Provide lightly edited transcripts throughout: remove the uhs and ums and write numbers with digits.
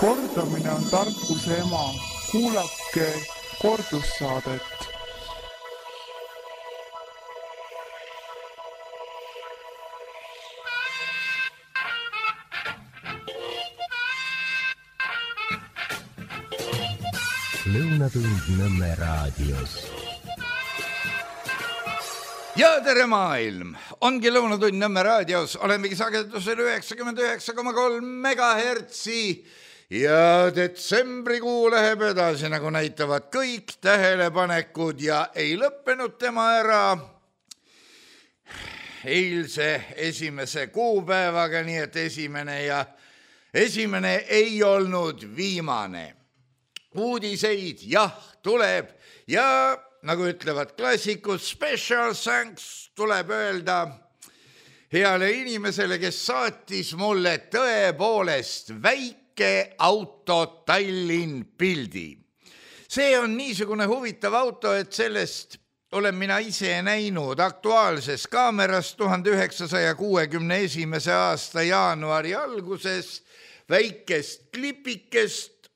Kordamine on tarkuse ema. Kuulake kordussaadet. Lõunatund Nõmme raadios. Ja tere maailm! Ongi Lõunatund Nõmme raadios. Olemegi sagedusel 99,3 megahertsi ja detsembrikuu läheb edasi, nagu näitavad kõik tähelepanekud ja ei lõppenud tema ära eilse esimese kuupäevaga, nii et esimene ei olnud viimane. Uudiseid jah tuleb ja nagu ütlevad klassikud, special thanks tuleb öelda heale inimesele, kes saatis mulle tõepoolest väike auto Tallinn pildi. See on niisugune huvitav auto, et sellest olen mina ise näinud Aktuaalses Kaameras 1961. aasta jaanuari alguses väikest klipikest,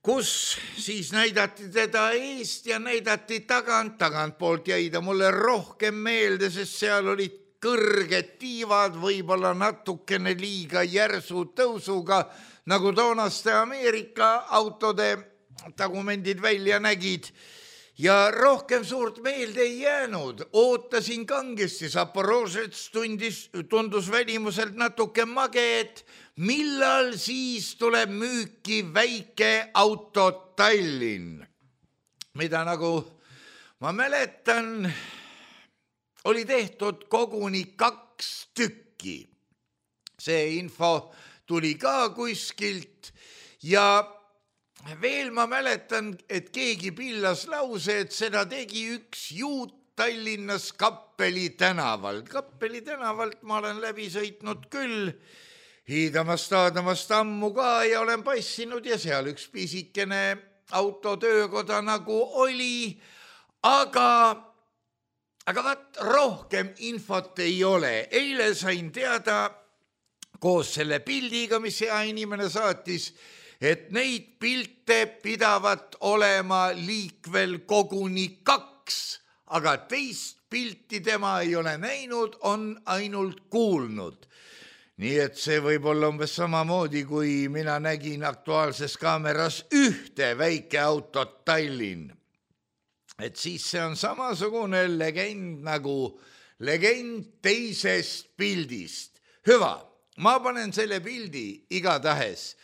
kus siis näidati teda eest ja näidati tagantpoolt jäi ta mulle rohkem meelde, sest seal olid kõrged tiivad, võib-olla natukene liiga järsu tõusuga, nagu toonaste Ameerika autode tagumendid välja nägid. Ja rohkem suurt meelde ei jäänud. Ootasin kangesti, Zaporožets tundus välimuselt natuke mage, et millal siis tuleb müüki väike auto Tallinn, mida nagu ma mäletan, oli tehtud koguni 2 tükki. See info tuli ka kuskilt ja veel ma mäletan, et keegi pillas lause, et seda tegi üks juut Tallinnas Kappeli tänavalt. Kappeli tänavalt ma olen läbi sõitnud küll, hiidamast ammu ka ja olen passinud ja seal üks pisikene autotöökoda nagu oli, aga vaat rohkem infot ei ole. Eile sain teada koos selle pildiga, mis hea inimene saatis, et neid pilte pidavat olema liikvel koguni 2, aga teist pilti tema ei ole näinud, on ainult kuulnud. Nii et see võib olla umbes samamoodi, kui mina nägin Aktuaalses Kaameras ühte väike autot Tallinn. Et siis see on samasugune legend nagu legend teisest pildist. Hüva, ma panen selle pildi igatahes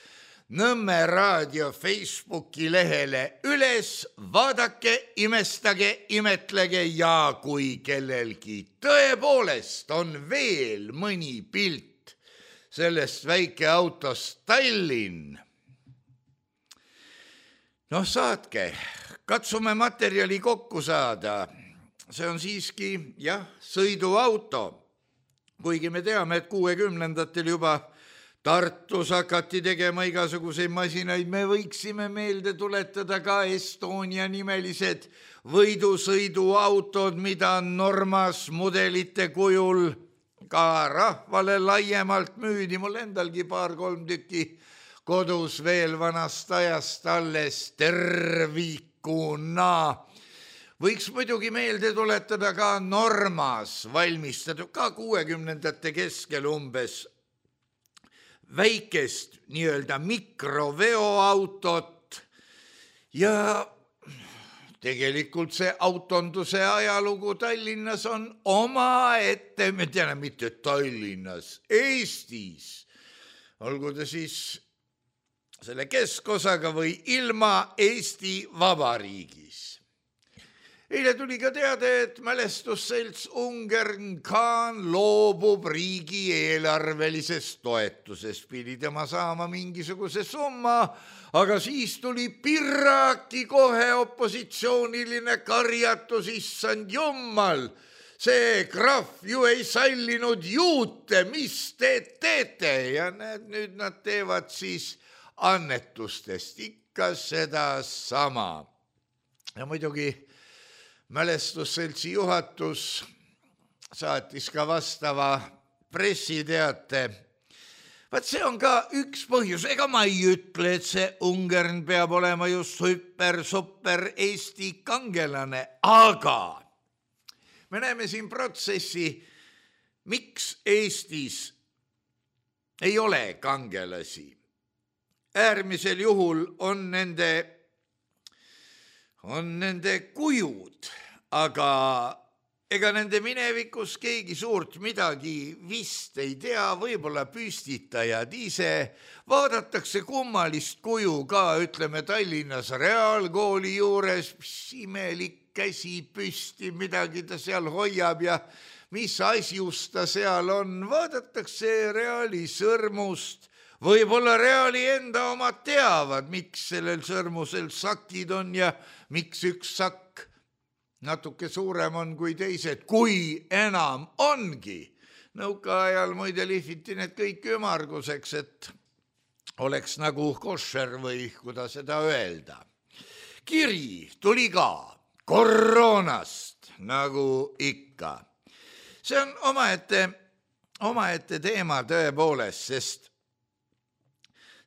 Nõmme raadio Facebooki lehele üles, vaadake, imestage, imetlege ja kui kellelgi tõepoolest on veel mõni pilt sellest väike autost Tallinn. Noh, saatke, katsume materjali kokku saada. See on siiski, jah, sõiduauto. Kuigi me teame, et 60-ndatel juba Tartus hakati tegema igasuguseid masinaid, me võiksime meelde tuletada ka Estonia nimelised võidusõiduautod, mida Normas mudelite kujul ka rahvale laiemalt müüdi. Mul endalgi 2-3 tükki kodus veel vanast ajast alles tervikuna. Võiks muidugi meelde tuletada ka Normas valmistatud, ka 60-ndate keskel umbes, väikest nii-öelda mikroveoautot ja tegelikult see autonduse ajalugu Tallinnas on omaette, me teame mitte Tallinnas, Eestis, olgu ta siis selle keskosaga või ilma Eesti Vabariigis. Eile tuli ka teada, et mälestusselts Ungern-Khan loobub riigi eelarvelisest toetusest. Pidi tema saama mingisuguse summa, aga siis tuli Pirraki kohe opositsiooniline karjatus, issand jummal. See krahv ju ei sallinud juute, mis te teete? Ja nüüd nad teevad siis annetustest ikka seda sama. Ja muidugi mälestusseltsi juhatus saatis ka vastava pressiteate Vaat see on ka üks põhjus, ega ma ei ütle, et see Ungern peab olema just super Eesti kangelane, aga me näeme siin protsessi, miks Eestis ei ole kangelasi. Äärmisel juhul on nende kujud, aga ega nende minevikus keegi suurt midagi vist ei tea, võib-olla püstitajad ise. Vaadatakse kummalist kuju ka, ütleme Tallinnas Reaalkooli juures, mis imelik käsi püsti, midagi ta seal hoiab ja mis asjus ta seal on. Vaadatakse Reali sõrmust, võib-olla Reali enda omad teavad, miks sellel sõrmusel sakid on ja miks üks sakk natuke suurem on kui teised, kui enam ongi. Nõukaajal muide lihviti need kõik ümarguseks, et oleks nagu košer või kuidas seda öelda. Kiri tuli ka koroonast, nagu ikka. See on omaette teema tõepoolest,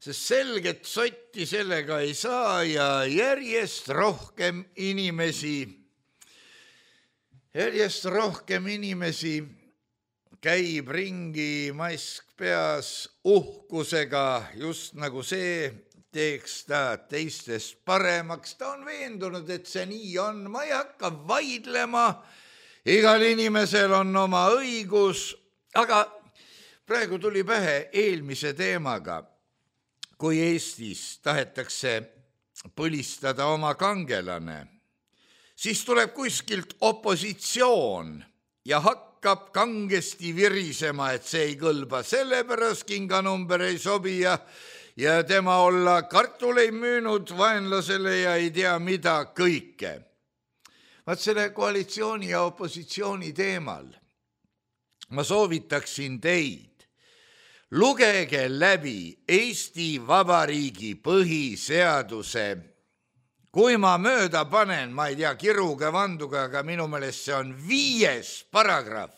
sest selget sotti sellega ei saa ja järjest rohkem inimesi käib ringi mask peas uhkusega, just nagu see teeks ta teistest paremaks. Ta on veendunud, et see nii on, ma ei hakka vaidlema, igal inimesel on oma õigus, aga praegu tuli pähe eelmise teemaga, kui Eestis tahetakse põlistada oma kangelane, siis tuleb kuskilt opositsioon ja hakkab kangesti virisema, et see ei kõlba, sellepärast kinganumber ei sobi ja tema olla kartul ei müünud vaenlasele ja ei tea mida kõike. Vaat selle koalitsiooni ja opositsiooni teemal ma soovitaksin teid, lugege läbi Eesti Vabariigi põhiseaduse. Kui ma mööda panen, ma ei tea, kiruga, vanduga, aga minu meelest see on 5. paragrahv,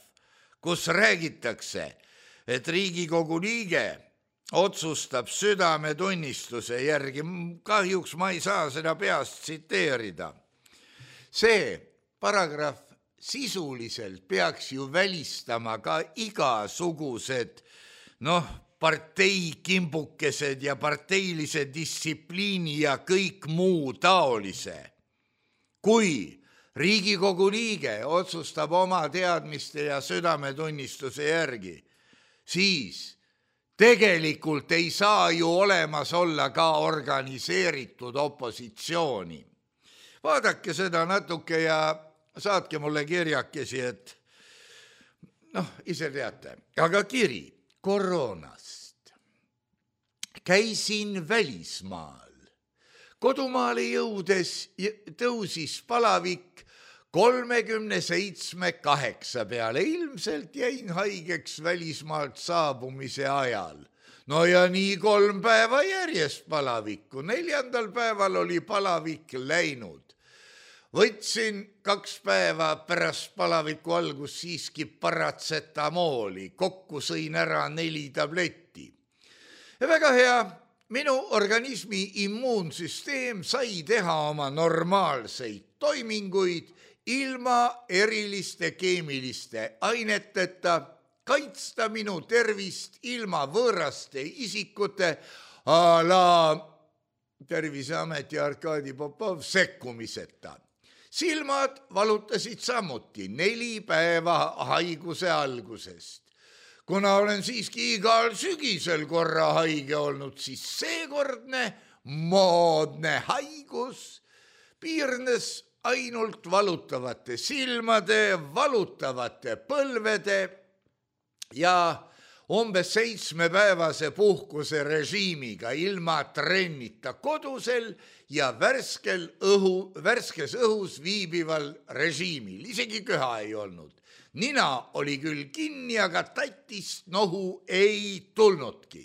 kus räägitakse, et Riigikogu liige otsustab südametunnistuse järgi. Kahjuks ma ei saa seda peast tsiteerida. See paragrahv sisuliselt peaks ju välistama ka igasugused, parteikimbukesed ja parteilise distsipliini ja kõik muu taolise. Kui Riigikogu liige otsustab oma teadmiste ja südametunnistuse järgi, siis tegelikult ei saa ju olemas olla ka organiseeritud opositsiooni. Vaadake seda natuke ja saatke mulle kirjakesi, et ise teate, aga kiri koroonast. Käisin välismaal. Kodumaale jõudes tõusis palavik 37,8 peale. Ilmselt jäin haigeks välismaalt saabumise ajal. No ja nii 3 päeva järjest palavikku. 4. päeval oli palavik läinud. Võtsin 2 päeva pärast palaviku algus siiski paratsetamooli. Kokku sõin ära 4 tabletti. Ja väga hea, minu organismi immuunsüsteem sai teha oma normaalseid toiminguid ilma eriliste keemiliste aineteta, kaitsta minu tervist ilma võõraste isikute a la Terviseameti Arkadi Popov sekkumiseta. Silmad valutasid samuti 4 päeva haiguse algusest. Kuna olen siiski igal sügisel korra haige olnud, siis seekordne moodne haigus piirnes ainult valutavate silmade, valutavate põlvede ja umbes 7-päevase puhkuse režiimiga ilma trennita kodusel ja värskes õhus viibival režiimil. Isegi köha ei olnud. Nina oli küll kinni, aga tatist nohu ei tulnudki.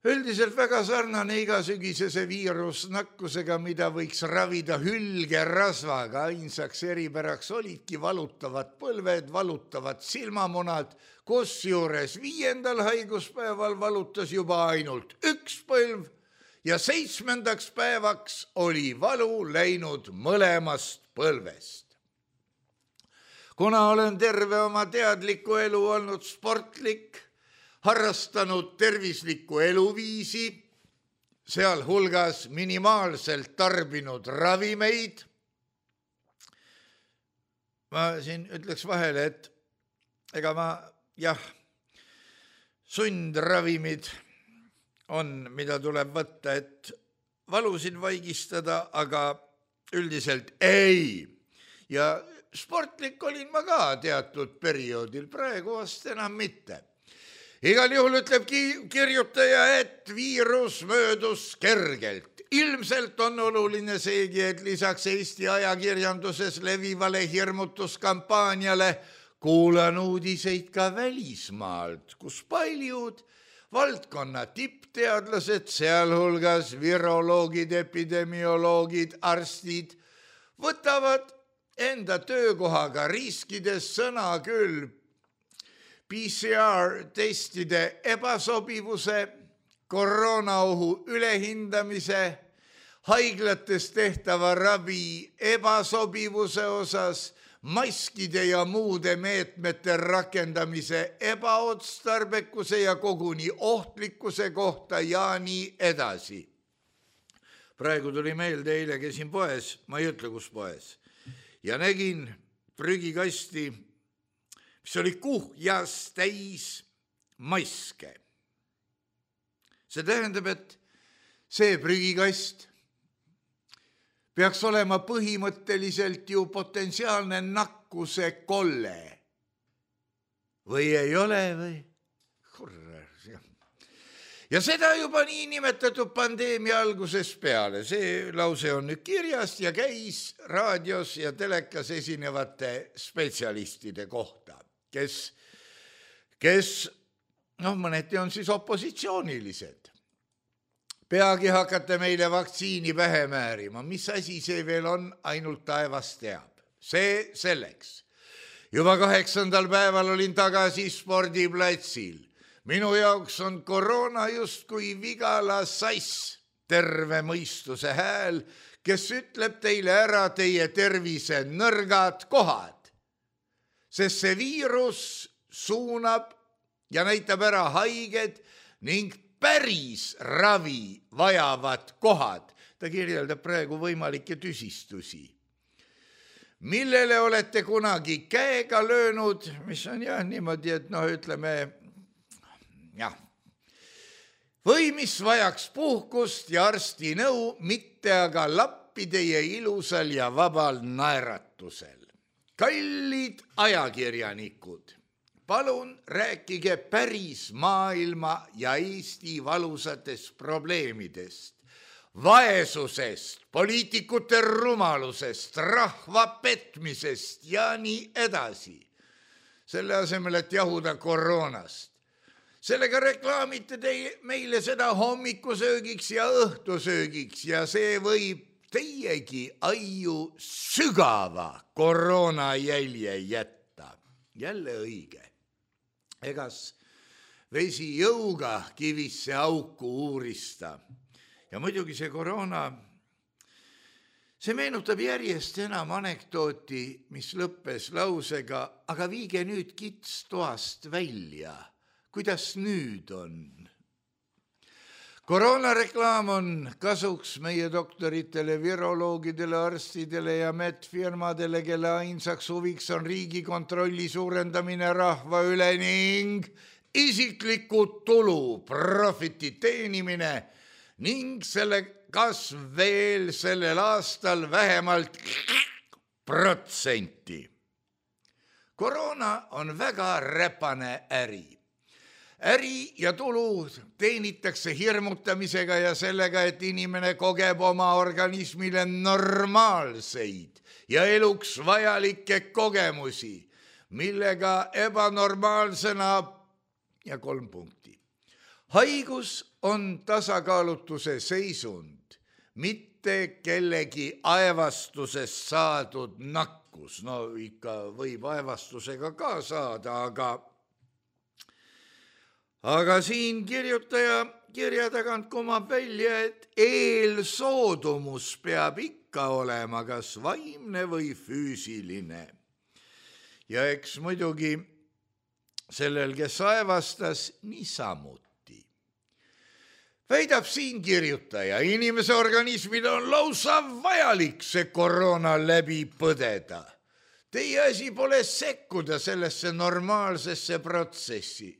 Üldiselt väga sarnane igasügisese viirusnakkusega, mida võiks ravida hülgerasvaga. Ainsaks eripäraks olidki valutavad põlved, valutavad silmamunad, kusjuures 5. haiguspäeval valutas juba ainult üks põlv ja 7. päevaks oli valu läinud mõlemast põlvest. Kuna olen terve oma teadliku elu olnud sportlik, harrastanud tervislikku eluviisi, sealhulgas minimaalselt tarbinud ravimeid. Ma siin ütleks vahele, et ega sundravimid on, mida tuleb võtta, et valusid vaigistada, aga üldiselt ei. Ja sportlik olin ma ka teatud perioodil, praegu vast enam mitte. Igal juhul ütleb kirjutaja, et viirus möödus kergelt. Ilmselt on oluline seegi, et lisaks Eesti ajakirjanduses levivale hirmutuskampaaniale kuulan uudiseid ka välismaalt, kus paljud valdkonna tippteadlased, sealhulgas viroloogid, epidemioloogid, arstid, võtavad enda töökohaga riskides sõna küll PCR-testide ebasobivuse, koroonaohu ülehindamise, haiglates tehtava ravi ebasobivuse osas, maskide ja muude meetmete rakendamise ebaotstarbekuse ja koguni ohtlikkuse kohta ja nii edasi. Praegu tuli meelde, eile käisin poes, ma ei ütle, kus poes, ja nägin prügikasti, mis oli kuhjas täis maske. See tähendab, et see prügikast peaks olema põhimõtteliselt ju potentsiaalne nakkuse kolle. Või ei ole või? Ja seda juba nii nimetatud pandeemia algusest peale. See lause on nüüd kirjas ja käis raadios ja telekas esinevate spetsialistide kohta, kes mõneti on siis opositsioonilised. Peagi hakata meile vaktsiini pähe määrima. Mis asi see veel on, ainult taevas teab. See selleks. Juba 8. päeval olin tagasi spordiplatsil. Minu jaoks on koroona justkui vigala sass, terve mõistuse hääl, kes ütleb teile ära teie tervise nõrgad kohad. Sest see viirus suunab ja näitab ära haiged ning päris ravi vajavad kohad. Ta kirjeldab praegu võimalikke tüsistusi. Millele olete kunagi käega löönud, mis on niimoodi, et ütleme, või mis vajaks puhkust ja arsti nõu, mitte aga lappi teie ilusal ja vabal naeratusel. Kallid ajakirjanikud, palun rääkige päris maailma ja Eesti valusatest probleemidest, vaesusest, poliitikute rumalusest, rahva petmisest ja nii edasi. Selle asemel, et jahuda koroonast. Sellega reklaamite meile seda hommikusöögiks ja õhtusöögiks ja see võib teiegi aiu sügava koroonajälje jätta. Jälle õige. Egas vesi jõuga kivisse auku uurista. Ja muidugi see koroona, see meenutab järjest enam anekdooti, mis lõppes lausega, aga viige nüüd kits toast välja. Kuidas nüüd on? Koroonareklaam on kasuks meie doktoritele, viroloogidele, arstidele ja medfirmadele, kelle ainsaks huviks on Riigikontrolli suurendamine rahva üle ning isikliku tulu, profiti teenimine ning selle kasv veel sellel aastal vähemalt %. Koroona on väga räpane äri. Äri ja tulu teenitakse hirmutamisega ja sellega, et inimene kogeb oma organismile normaalseid ja eluks vajalikke kogemusi, millega ebanormaalsena ja 3 punkti. haigus on tasakaalutuse seisund, mitte kellegi aevastusest saadud nakkus. No ikka võib aevastusega ka saada, aga siin kirjutaja kirja tagant kumab välja, et eelsoodumus peab ikka olema kas vaimne või füüsiline. Ja eks muidugi sellel, kes aevastas, niisamuti. Väidab siin kirjutaja, inimese organismil on lausa vajalik see koroona läbi põdeda. Teie asi pole sekkuda sellesse normaalsesse protsessi.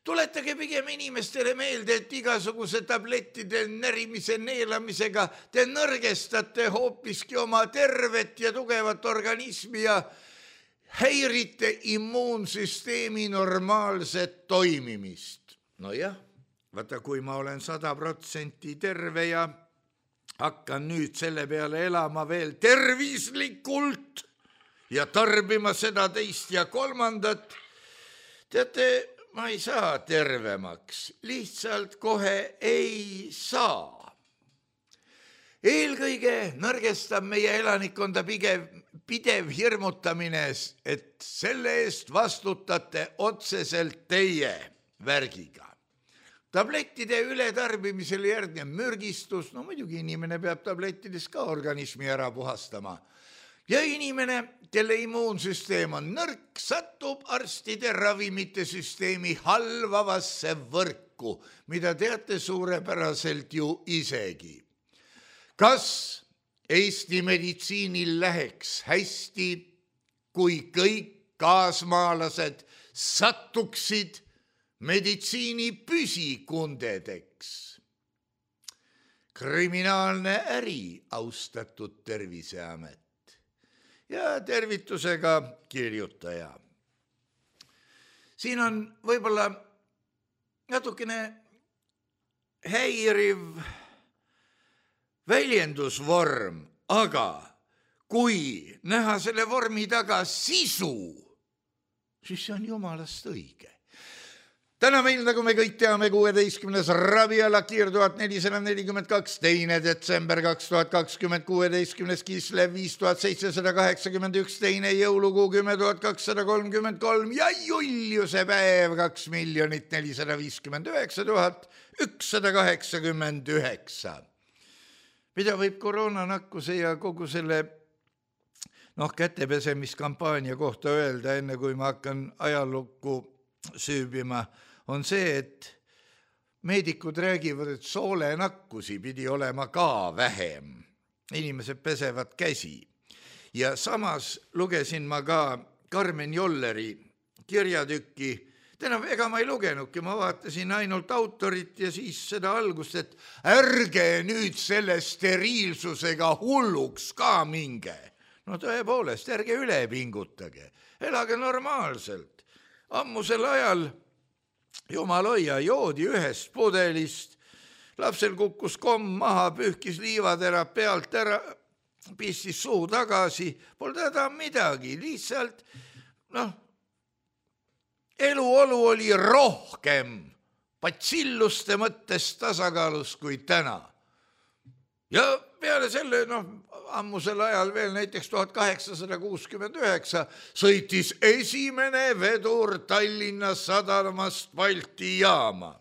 Tuletage pigem inimestele meelde, et igasuguse tablettide närimise neelamisega te nõrgestate hoopiski oma tervet ja tugevat organismi ja häirite immuunsüsteemi normaalset toimimist. No jah, vaata, kui ma olen 100% terve ja hakkan nüüd selle peale elama veel tervislikult ja tarbima seda, teist ja kolmandat, teate, ma ei saa tervemaks, lihtsalt kohe ei saa. Eelkõige nõrgestab meie elanikkonda pidev hirmutamine, et selle eest vastutate otseselt teie värgiga. Tablettide ületarbimisele järgneb mürgistus, no muidugi inimene peab tablettides ka organismi ära puhastama. Ja inimene, kelle immuunsüsteem on nõrk, satub arstide ravimite süsteemi halvavasse võrku, mida teate suurepäraselt ju isegi. Kas Eesti meditsiinil läheks hästi, kui kõik kaasmaalased sattuksid meditsiini püsikundedeks? Kriminaalne äri, austatud Terviseamet. Ja tervitusega kirjutaja. Siin on võib-olla natukene häiriv väljendusvorm, aga kui näha selle vormi taga sisu, siis see on jumalast õige. Täna meil, nagu me kõik teame, 16. Rabialakir 1442, 2. detsember 2020, 16. Kislev 5781, 2. jõulukuu 10.233 ja Juliuse päev 2,459,189. Mida võib koroonanakkuse ja kogu selle kätepesemiskampaania kohta öelda, enne kui ma hakkan ajalukku süübima, on see, et meedikud räägivad, et soolenakkusi pidi olema ka vähem. Inimesed pesevad käsi. Ja samas lugesin ma ka Karmen Jolleri kirjatükki. Ega ma ei lugenudki, ma vaatasin ainult autorit ja siis seda algust, et ärge nüüd selle steriilsusega hulluks ka minge. No tõepoolest, ärge üle pingutage. Elage normaalselt. Ammusel ajal jumal hoia, joodi ühest pudelist, lapsel kukkus komm maha, pühkis liivatera pealt ära, pistis suu tagasi, polnud häda midagi, lihtsalt eluolu oli rohkem patsilluste mõttes tasakaalus kui täna. Ja peale selle, ammusel ajal veel näiteks 1869 sõitis esimene vedur Tallinna sadamast Balti jaama.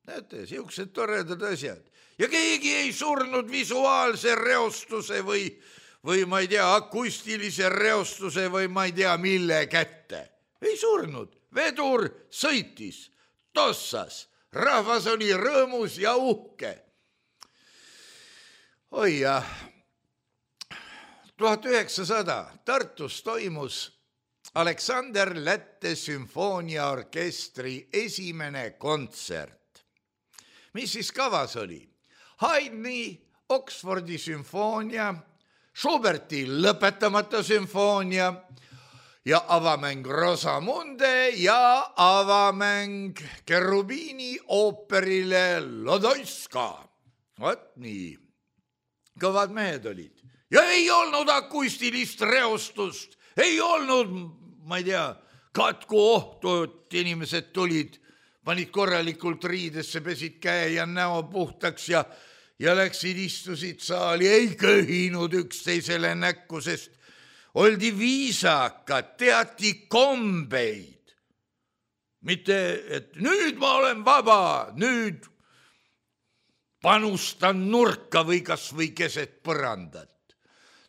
Näete, siuksed toredad asjad. Ja keegi ei surnud visuaalse reostuse või ma ei tea, akustilise reostuse või ma ei tea, mille kätte. Ei surnud. Vedur sõitis, tossas. Rahvas oli rõõmus ja uhke. Oi jah. 1900 Tartus toimus Aleksander Lätte sümfooniaorkestri esimene kontsert. Mis siis kavas oli? Haydni Oxfordi sümfoonia, Schuberti lõpetamata sümfoonia ja avamäng Rosamunde ja avamäng Cherubini ooperile Lodoiska. Vaat nii. Kõvad mehed olid. Ja ei olnud akustilist reostust, ei olnud, ma ei tea, katkuohtu, et inimesed tulid panid korralikult riidesse, pesid käe ja näo puhtaks ja läksid, istusid saali, ei köhinud üksteisele näkku, sest oldi viisakad, teati kombeid. Mitte, et nüüd ma olen vaba, nüüd panustan nurka või kas või keset põrandat.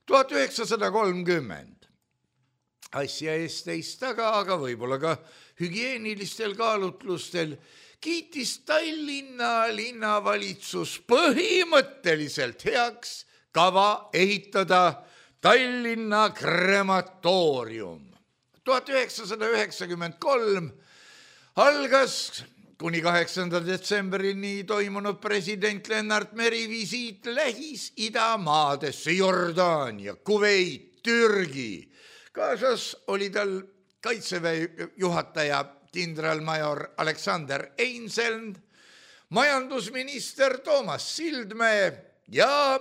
1930. Asja eest teist taga, aga võib-olla ka hügieenilistel kaalutlustel kiitis Tallinna linnavalitsus põhimõtteliselt heaks kava ehitada Tallinna krematoorium. 1993 algas kuni 8. detsembrini toimunud president Lennart Meri visiit Lähis-Ida-maadesse, Jordaania, Kuveit, Türgi. Kaasas oli tal kaitseväe juhataja kindralmajor Aleksander Einseln, majandusminister Toomas Sildmäe ja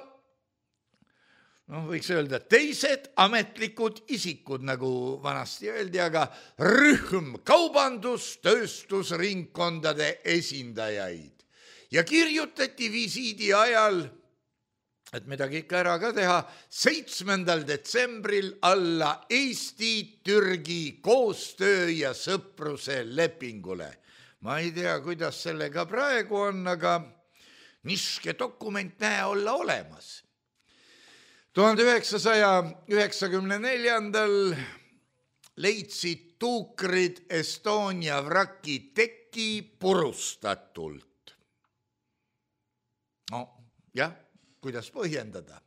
võiks öelda teised ametlikud isikud, nagu vanasti öeldi, aga rühm kaubandus-tööstusringkondade esindajaid. Ja kirjutati visiidi ajal, et midagi ikka ära ka teha, 7. detsembril alla Eesti-Türgi koostöö ja sõpruse lepingule. Ma ei tea, kuidas sellega praegu on, aga niske dokument näe olla olemas. 1994. leidsid tuukrid Estonia vraki teki purustatult. No jah, kuidas põhjendada?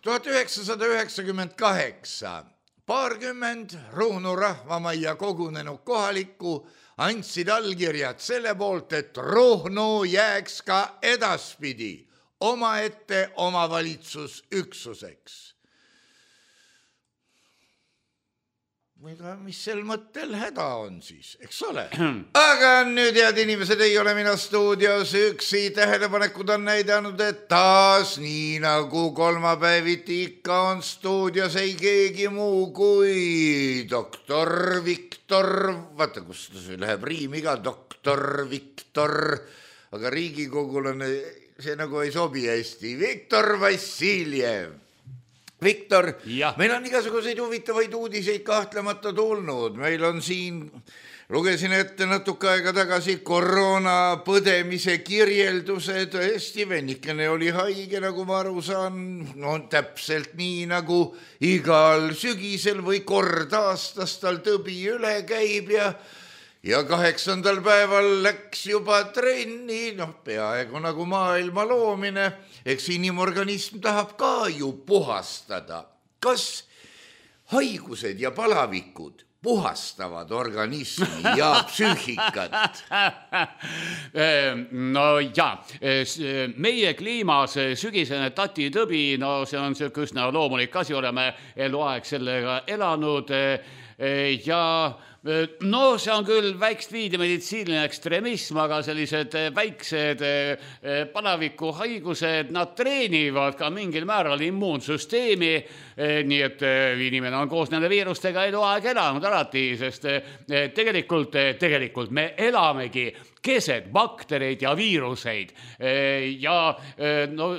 1998 paarkümmend Ruhnu rahvamajja kogunenud kohalikku andsid allkirjad selle poolt, et Ruhnu jääks ka edaspidi omaette omavalitsusüksuseks. Mis sel mõttel häda on siis, eks ole? Aga nüüd, head inimesed, ei ole mina stuudios üksi. Tähelepanekud on näidanud, et taas nii nagu kolmapäeviti ikka on stuudios ei keegi muu kui doktor Viktor. Vaata, kus see läheb riimiga, doktor Viktor. Aga Riigikogul on see nagu ei sobi hästi. Viktor Vassiljev. Viktor, meil on igasuguseid huvitavaid uudiseid kahtlemata tulnud. Meil on siin, lugesin ette natuke aega tagasi, koroona põdemise kirjelduse. Tõesti, vennikene oli haige, nagu ma aru saan. No täpselt nii, nagu igal sügisel või kord aastas tal tõbi üle käib ja 8. päeval läks juba trenni, peaaegu nagu maailma loomine. Eks inimorganism tahab ka ju puhastada. Kas haigused ja palavikud puhastavad organismi ja psüühikat? No jaa, meie kliimas sügisene tatitõbi, no see on üsna loomulik asi, oleme eluaeg sellega elanud ja no see on küll väikest viidi meditsiiniline ekstremism, aga sellised väiksed palavikuhaigused, nad treenivad ka mingil määral immuunsüsteemi, nii et inimene on koos nende viirustega eluaeg elanud alati, sest tegelikult me elamegi keset baktereid ja viiruseid ja no,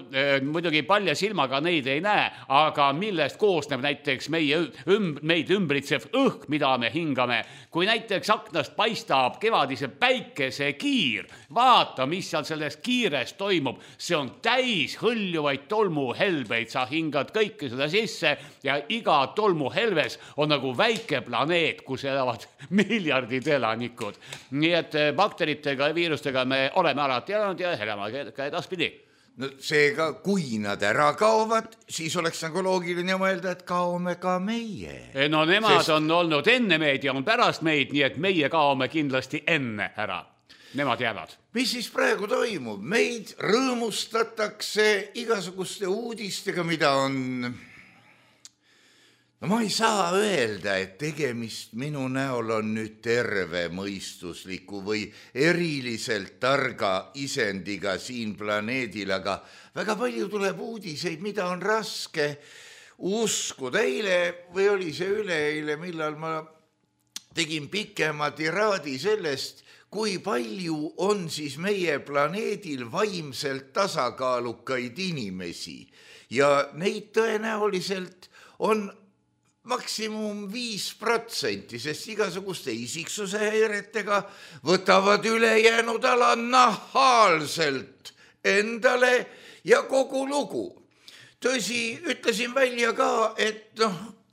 muidugi palja silmaga neid ei näe, aga millest koosneb näiteks meid ümbritsev õhk, mida me hingame. Kui näiteks aknast paistab kevadise päikesekiir, vaata, mis seal selles kiires toimub, see on täis hõljuvaid tolmuhelbeid, sa hingad kõike seda sisse ja iga tolmuhelves on nagu väike planeet, kus elavad miljardid elanikud. Nii et bakteritega ja viirustega me oleme alati elanud ja elame ka edaspidi. No seega, kui nad ära kaovad, siis oleks nagu loogiline mõelda, et kaome ka meie. No nemad on olnud enne meid ja on pärast meid, nii et meie kaome kindlasti enne ära. Nemad jäävad. Mis siis praegu toimub? Meid rõõmustatakse igasuguste uudistega, mida on... No ma ei saa öelda, et tegemist minu näol on nüüd terve mõistusliku või eriliselt targa isendiga siin planeedil, aga väga palju tuleb uudiseid, mida on raske uskuda. Eile või oli see üleeile, millal ma tegin pikema tiraadi sellest, kui palju on siis meie planeedil vaimselt tasakaalukaid inimesi ja neid tõenäoliselt on maksimum 5%, sest igasuguste isiksuse häiretega võtavad ülejäänud ala nahaalselt endale ja kogu lugu. Tõsi, ütlesin välja ka, et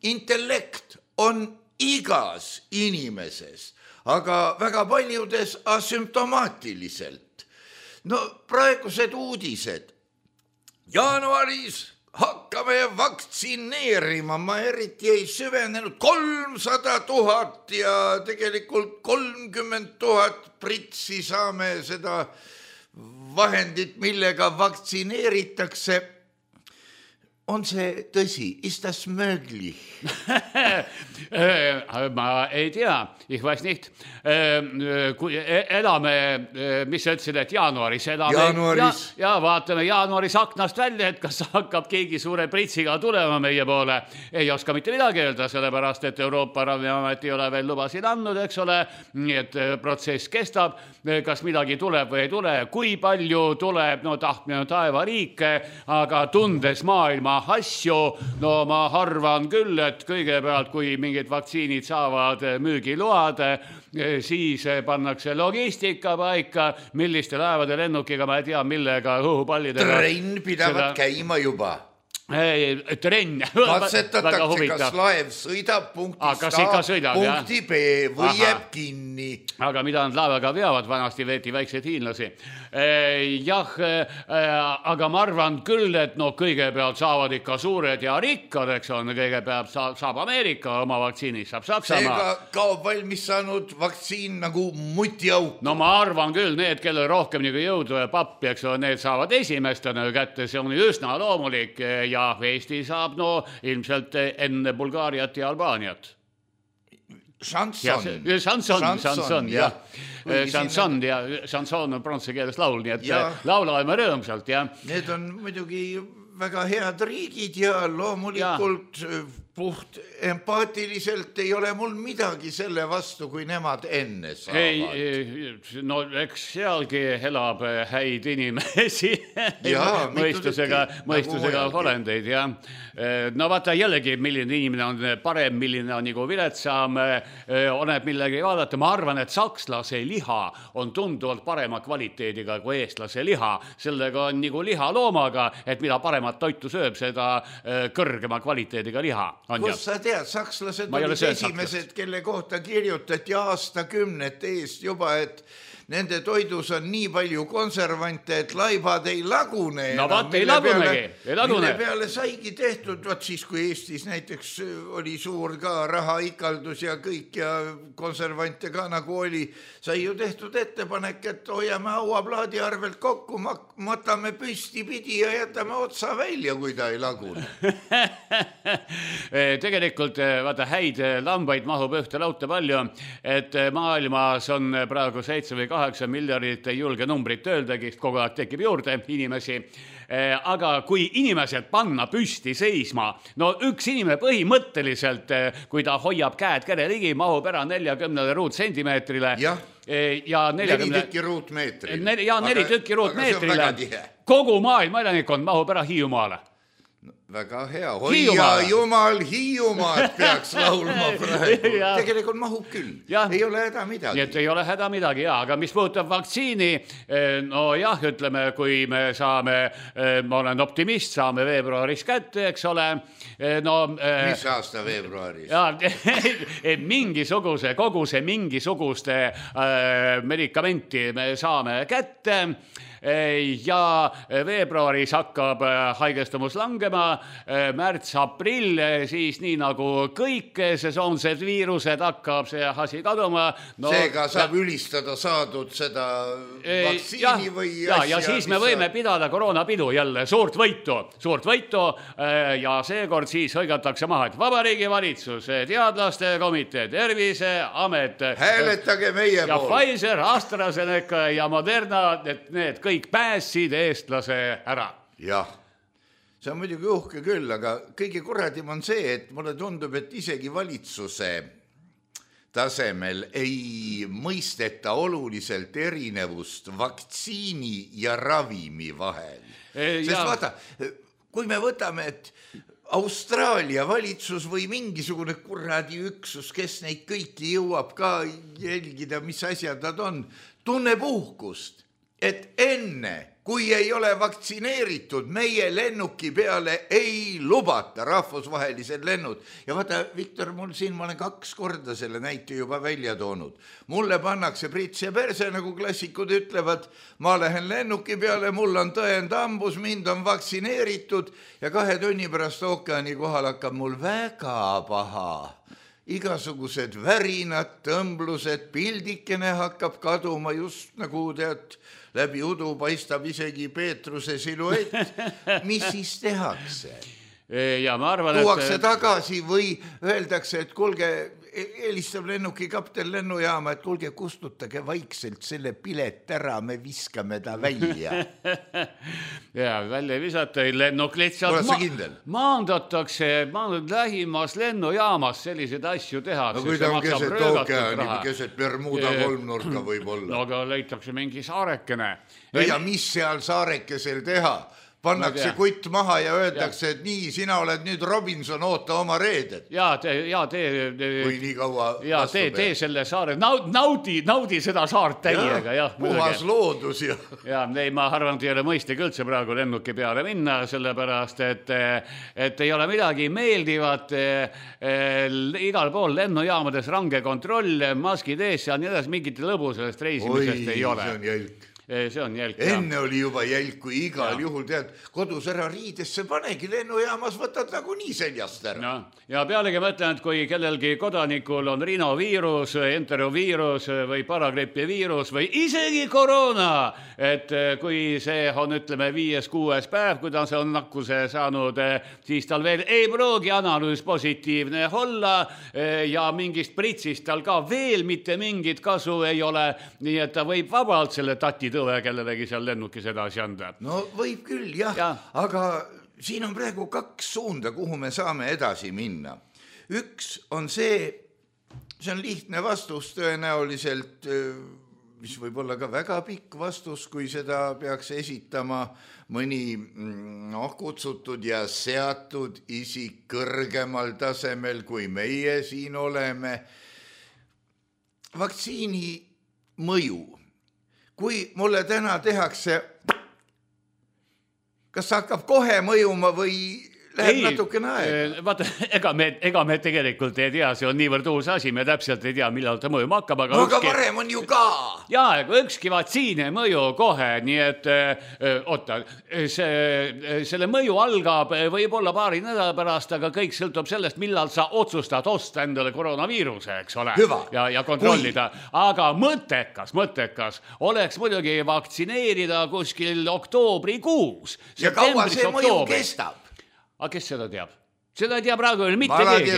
intellekt on igas inimeses, aga väga paljudes asümptomaatiliselt. No praegused uudised. Jaanuaris hakkame vaktsineerima, ma eriti ei süvenenud, 300 000 ja tegelikult 30 000 pritsi saame seda vahendit, millega vaktsineeritakse. On see tõsi? Ist das möglich? Ma ei tea, ich weiß nicht. Kui elame, mis sa ütlesid, et jaanuaris elame. Jaanuaris. Ja vaatame jaanuaris aknast välja, et kas hakkab keegi suure pritsiga tulema meie poole. Ei oska mitte midagi öelda, sellepärast, et Euroopa Ravimiamet ei ole veel lubasid andnud, eks ole. Nii et protsess kestab, kas midagi tuleb või ei tule, kui palju tuleb, no tahtmine taevariike, aga tundes maailma asju, no ma arvan küll, et kõigepealt, kui mingid vaktsiinid saavad müügiload, siis pannakse logistika paika, milliste laevade lennukiga, ma ei tea, millega, õhupallidega. Trenn pidavad käima juba. Trenn. Katsetatakse, kas laev sõidab punktist A punkti B või jääb kinni. Aga mida nad laevaga veavad, vanasti veeti väikseid hiinlasi. Jah, aga ma arvan küll, et no kõigepealt saavad ikka suured ja rikkad, eks on, kõigepealt saab Ameerika oma vaktsiinid, saab Saksamaa. Seega kaob valmis saanud vaktsiin nagu mutiauk. No ma arvan küll, need, kellel rohkem nagu jõudu ja pappi, eks on, need saavad esimestena kätte, see on üsna loomulik ja Eesti saab no ilmselt enne Bulgaariat ja Albaaniat. Chanson, jah. Chanson on prantsuse keeles laul, nii et laulame rõõmsalt, jah. Need on muidugi väga head riigid ja loomulikult puht empaatiliselt ei ole mul midagi selle vastu, kui nemad enne saavad. Ei, no eks sealgi elab häid inimesi, mõistusega olendeid, jah. No vaata jällegi, milline inimene on parem, milline on nagu viletsam, oleneb millegi vaadata. Ma arvan, et sakslase liha on tunduvalt parema kvaliteediga kui eestlase liha. Sellega on nagu liha loomaga, et mida paremat toitu sööb, seda kõrgema kvaliteediga liha. Kus sa tead, sakslased olid esimesed, kelle kohta kirjutati aastakümnete eest juba, et nende toidus on nii palju konservante, et laibad ei lagune. No vaat ei lagunegi, ei lagune. Mille peale saigi tehtud, vaat siis kui Eestis näiteks oli suur ka rahaikaldus ja kõik ja konservante ka nagu oli, sai ju tehtud ettepanek, et hoiame hauaplaadi arvelt kokku, matame püsti pidi ja jätame otsa välja, kui ta ei lagune. Tegelikult vaata häid lambaid mahub ühte lauta palju, et maailmas on praegu 7 või 8 miljardit ei julge numbrit öeldagi, kogu aeg tekib juurde inimesi. Aga kui inimesed panna püsti seisma, no üks inimene põhimõtteliselt, kui ta hoiab käed kere ligi, mahub ära 40 ruutsentimeetrile. Ja 4 tükki ruutmeetrile. Ja 4 tükki ruutmeetrile. Kogu maailma elanikkond mahub ära Hiiumaale. Väga hea, hoia jumal Hiiumaad peaks laulma praegu. Tegelikult mahub küll, ei ole häda midagi. Nii et ei ole häda midagi, aga mis puudutab vaktsiini, no jah, ütleme, kui me saame, ma olen optimist, saame veebruaris kätte, eks ole. No, mis aasta veebruaris? Mingisuguse, koguse mingisuguste medikamenti me saame kätte. Ja veebruaris hakkab haigestumus langema, märts-aprill, siis nii nagu kõik sesoonsed viirused hakkab see asi kaduma. No, seega saab ülistada saadud seda vaktsiini või asja. Ja siis me võime pidada koroonapidu jälle, suurt võitu ja seekord siis hõigatakse maha, et Vabariigi Valitsus, teadlaste komitee, Terviseamet. Hääletage meie ja pool. Ja Pfizer, AstraZeneca ja Moderna, et need kõik pääsid eestlase ära. Jah, see on muidugi uhke küll, aga kõige kurradim on see, et mulle tundub, et isegi valitsuse tasemel ei mõisteta oluliselt erinevust vaktsiini ja ravimi vahel. Sest vaata, kui me võtame, et Austraalia valitsus või mingisugune kuradi üksus, kes neid kõiki jõuab ka jälgida, mis asjad nad on, tunneb uhkust, et enne, kui ei ole vaktsineeritud, meie lennuki peale ei lubata rahvusvahelised lennud. Ja vaata, Viktor, ma olen 2 korda selle näite juba välja toonud. Mulle pannakse prits ja perse, nagu klassikud ütlevad, ma lähen lennuki peale, mul on tõend ambus, mind on vaktsineeritud ja 2 tunni pärast ookeani kohal hakkab mul väga paha. Igasugused värinad, tõmblused, pildikene hakkab kaduma just nagu tead, läbi udu paistab isegi Peetruse siluett. Mis siis tehakse? Ja ma arvan, tuuakse tagasi või öeldakse, et kuulge, helistab lennuki kapten lennujaama, et kuulge, kustutage vaikselt selle pilet ära, me viskame ta välja. Ja välja visata, lennuk lihtsalt maandatakse lähimas lennujaamas selliseid asju teha. No kui ta on keset ookeani, keset Bermuda kolmnurka võib olla. No aga leitakse mingi saarekene. Ja mis seal saarekesel teha? Pannakse kutt maha ja öeldakse, et nii, sina oled nüüd Robinson, oota oma reedet. Või nii kaua vastu peab. Tee selle saare, naudi seda saart täiega. Puhas loodus. Ja, ma arvan, et ei ole mõistlik üldse praegu lennuki peale minna, sellepärast, et ei ole midagi meeldivat. Igal pool lennujaamades range kontroll, maskid ees ja nii edasi, mingit lõbu sellest reisimisest ei ole. See on jälk. See on jälk. Enne oli juba jälk, kui igal juhul tead, kodus ära riidesse panegi lennujaamas, võtad nagu nii seljast ära. Ja pealegi mõtlen, et kui kellelgi kodanikul on rinoviirus, enteroviirus või paragripiviirus või isegi koroona, et kui see on, ütleme, 5-6 päev, kui ta on nakkuse saanud, siis tal veel ei pruugi analüüs positiivne olla ja mingist pritsist tal ka veel mitte mingit kasu ei ole, nii et ta võib vabalt selle tati tõve kellelegi seal lennukis edasi anda. No võib küll, jah. Aga siin on praegu 2 suunda, kuhu me saame edasi minna. Üks on see on lihtne vastus tõenäoliselt, mis võib olla ka väga pikk vastus, kui seda peaks esitama mõni kutsutud ja seatud isik kõrgemal tasemel, kui meie siin oleme. Vaktsiini mõju. Kui mulle täna tehakse, kas hakkab kohe mõjuma või läheb natukene aega? Vaata, ega me tegelikult ei tea, see on niivõrd uus asi, me täpselt ei tea, millal ta mõjuma hakkab. Aga varem on ju ka. Jaa, ükski vaktsiin ei mõju kohe, nii et selle mõju algab võib-olla paari nädala pärast, aga kõik sõltub sellest, millal sa otsustad osta endale koroonaviiruse, eks ole. Ja kontrollida. Aga mõttekas oleks muidugi vaktsineerida kuskil oktoobrikuus. Ja kaua see mõju kestab? Aga kes seda teab? Seda ei tea praegu veel mitte keegi.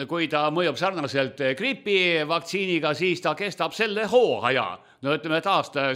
Kui ta mõjub sarnaselt gripivaktsiiniga, siis ta kestab selle hooaja. No ütleme, et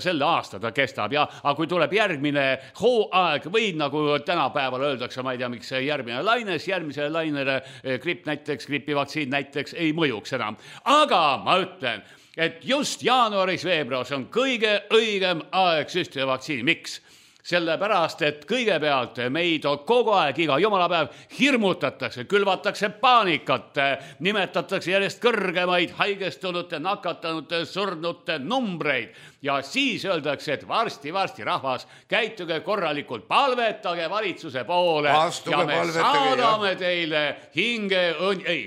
selle aasta ta kestab. Aga kui tuleb järgmine hooaeg või nagu tänapäeval öeldakse, ma ei tea, miks järgmine laines, järgmisele lainele gripivaktsiin näiteks ei mõjuks enam. Aga ma ütlen, et just jaanuaris-veebruaris on kõige õigem aeg süstida vaktsiini. Miks? Sellepärast, et kõigepealt meid kogu aeg, iga jumalapäev hirmutatakse, külvatakse paanikat, nimetatakse järjest kõrgemaid haigestunute, nakatanute, surnute numbreid. Ja siis öeldakse, et varsti rahvas, käituge korralikult, palvetage valitsuse poole ja me saadame teile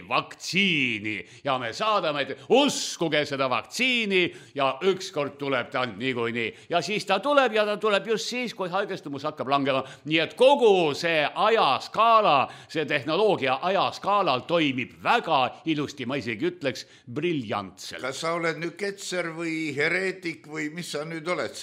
vaktsiini ja me saadame, uskuge seda vaktsiini ja ükskord tuleb ta niikuinii. Ja siis ta tuleb ja ta tuleb just siis, kui haigestumus hakkab langema. Nii et kogu see ajaskaala, see tehnoloogia ajaskaalal toimib väga ilusti, ma isegi ütleks briljantselt. Kas sa oled nüüd ketser või hereetik või mis sa nüüd oled?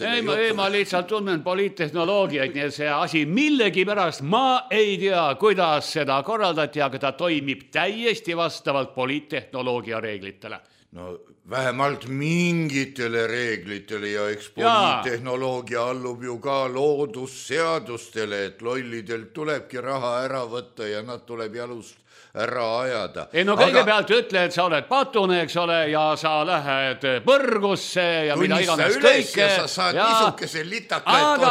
Ma lihtsalt tunnen poliittehnoloogiaid, nii et see asi millegipärast ma ei tea, kuidas seda korraldati, aga ta toimib täiesti vastavalt poliittehnoloogia reeglitele. No vähemalt mingitele reeglitele ja eks poliittehnoloogia allub ju ka loodusseadustele, et lollidelt tulebki raha ära võtta ja nad tuleb jalust ära ajada. Ei no kõigepealt ütle, et sa oled patune, eks ole, ja sa lähed põrgusse ja mida iganes kõike. Ja sa saad niisukese litakaid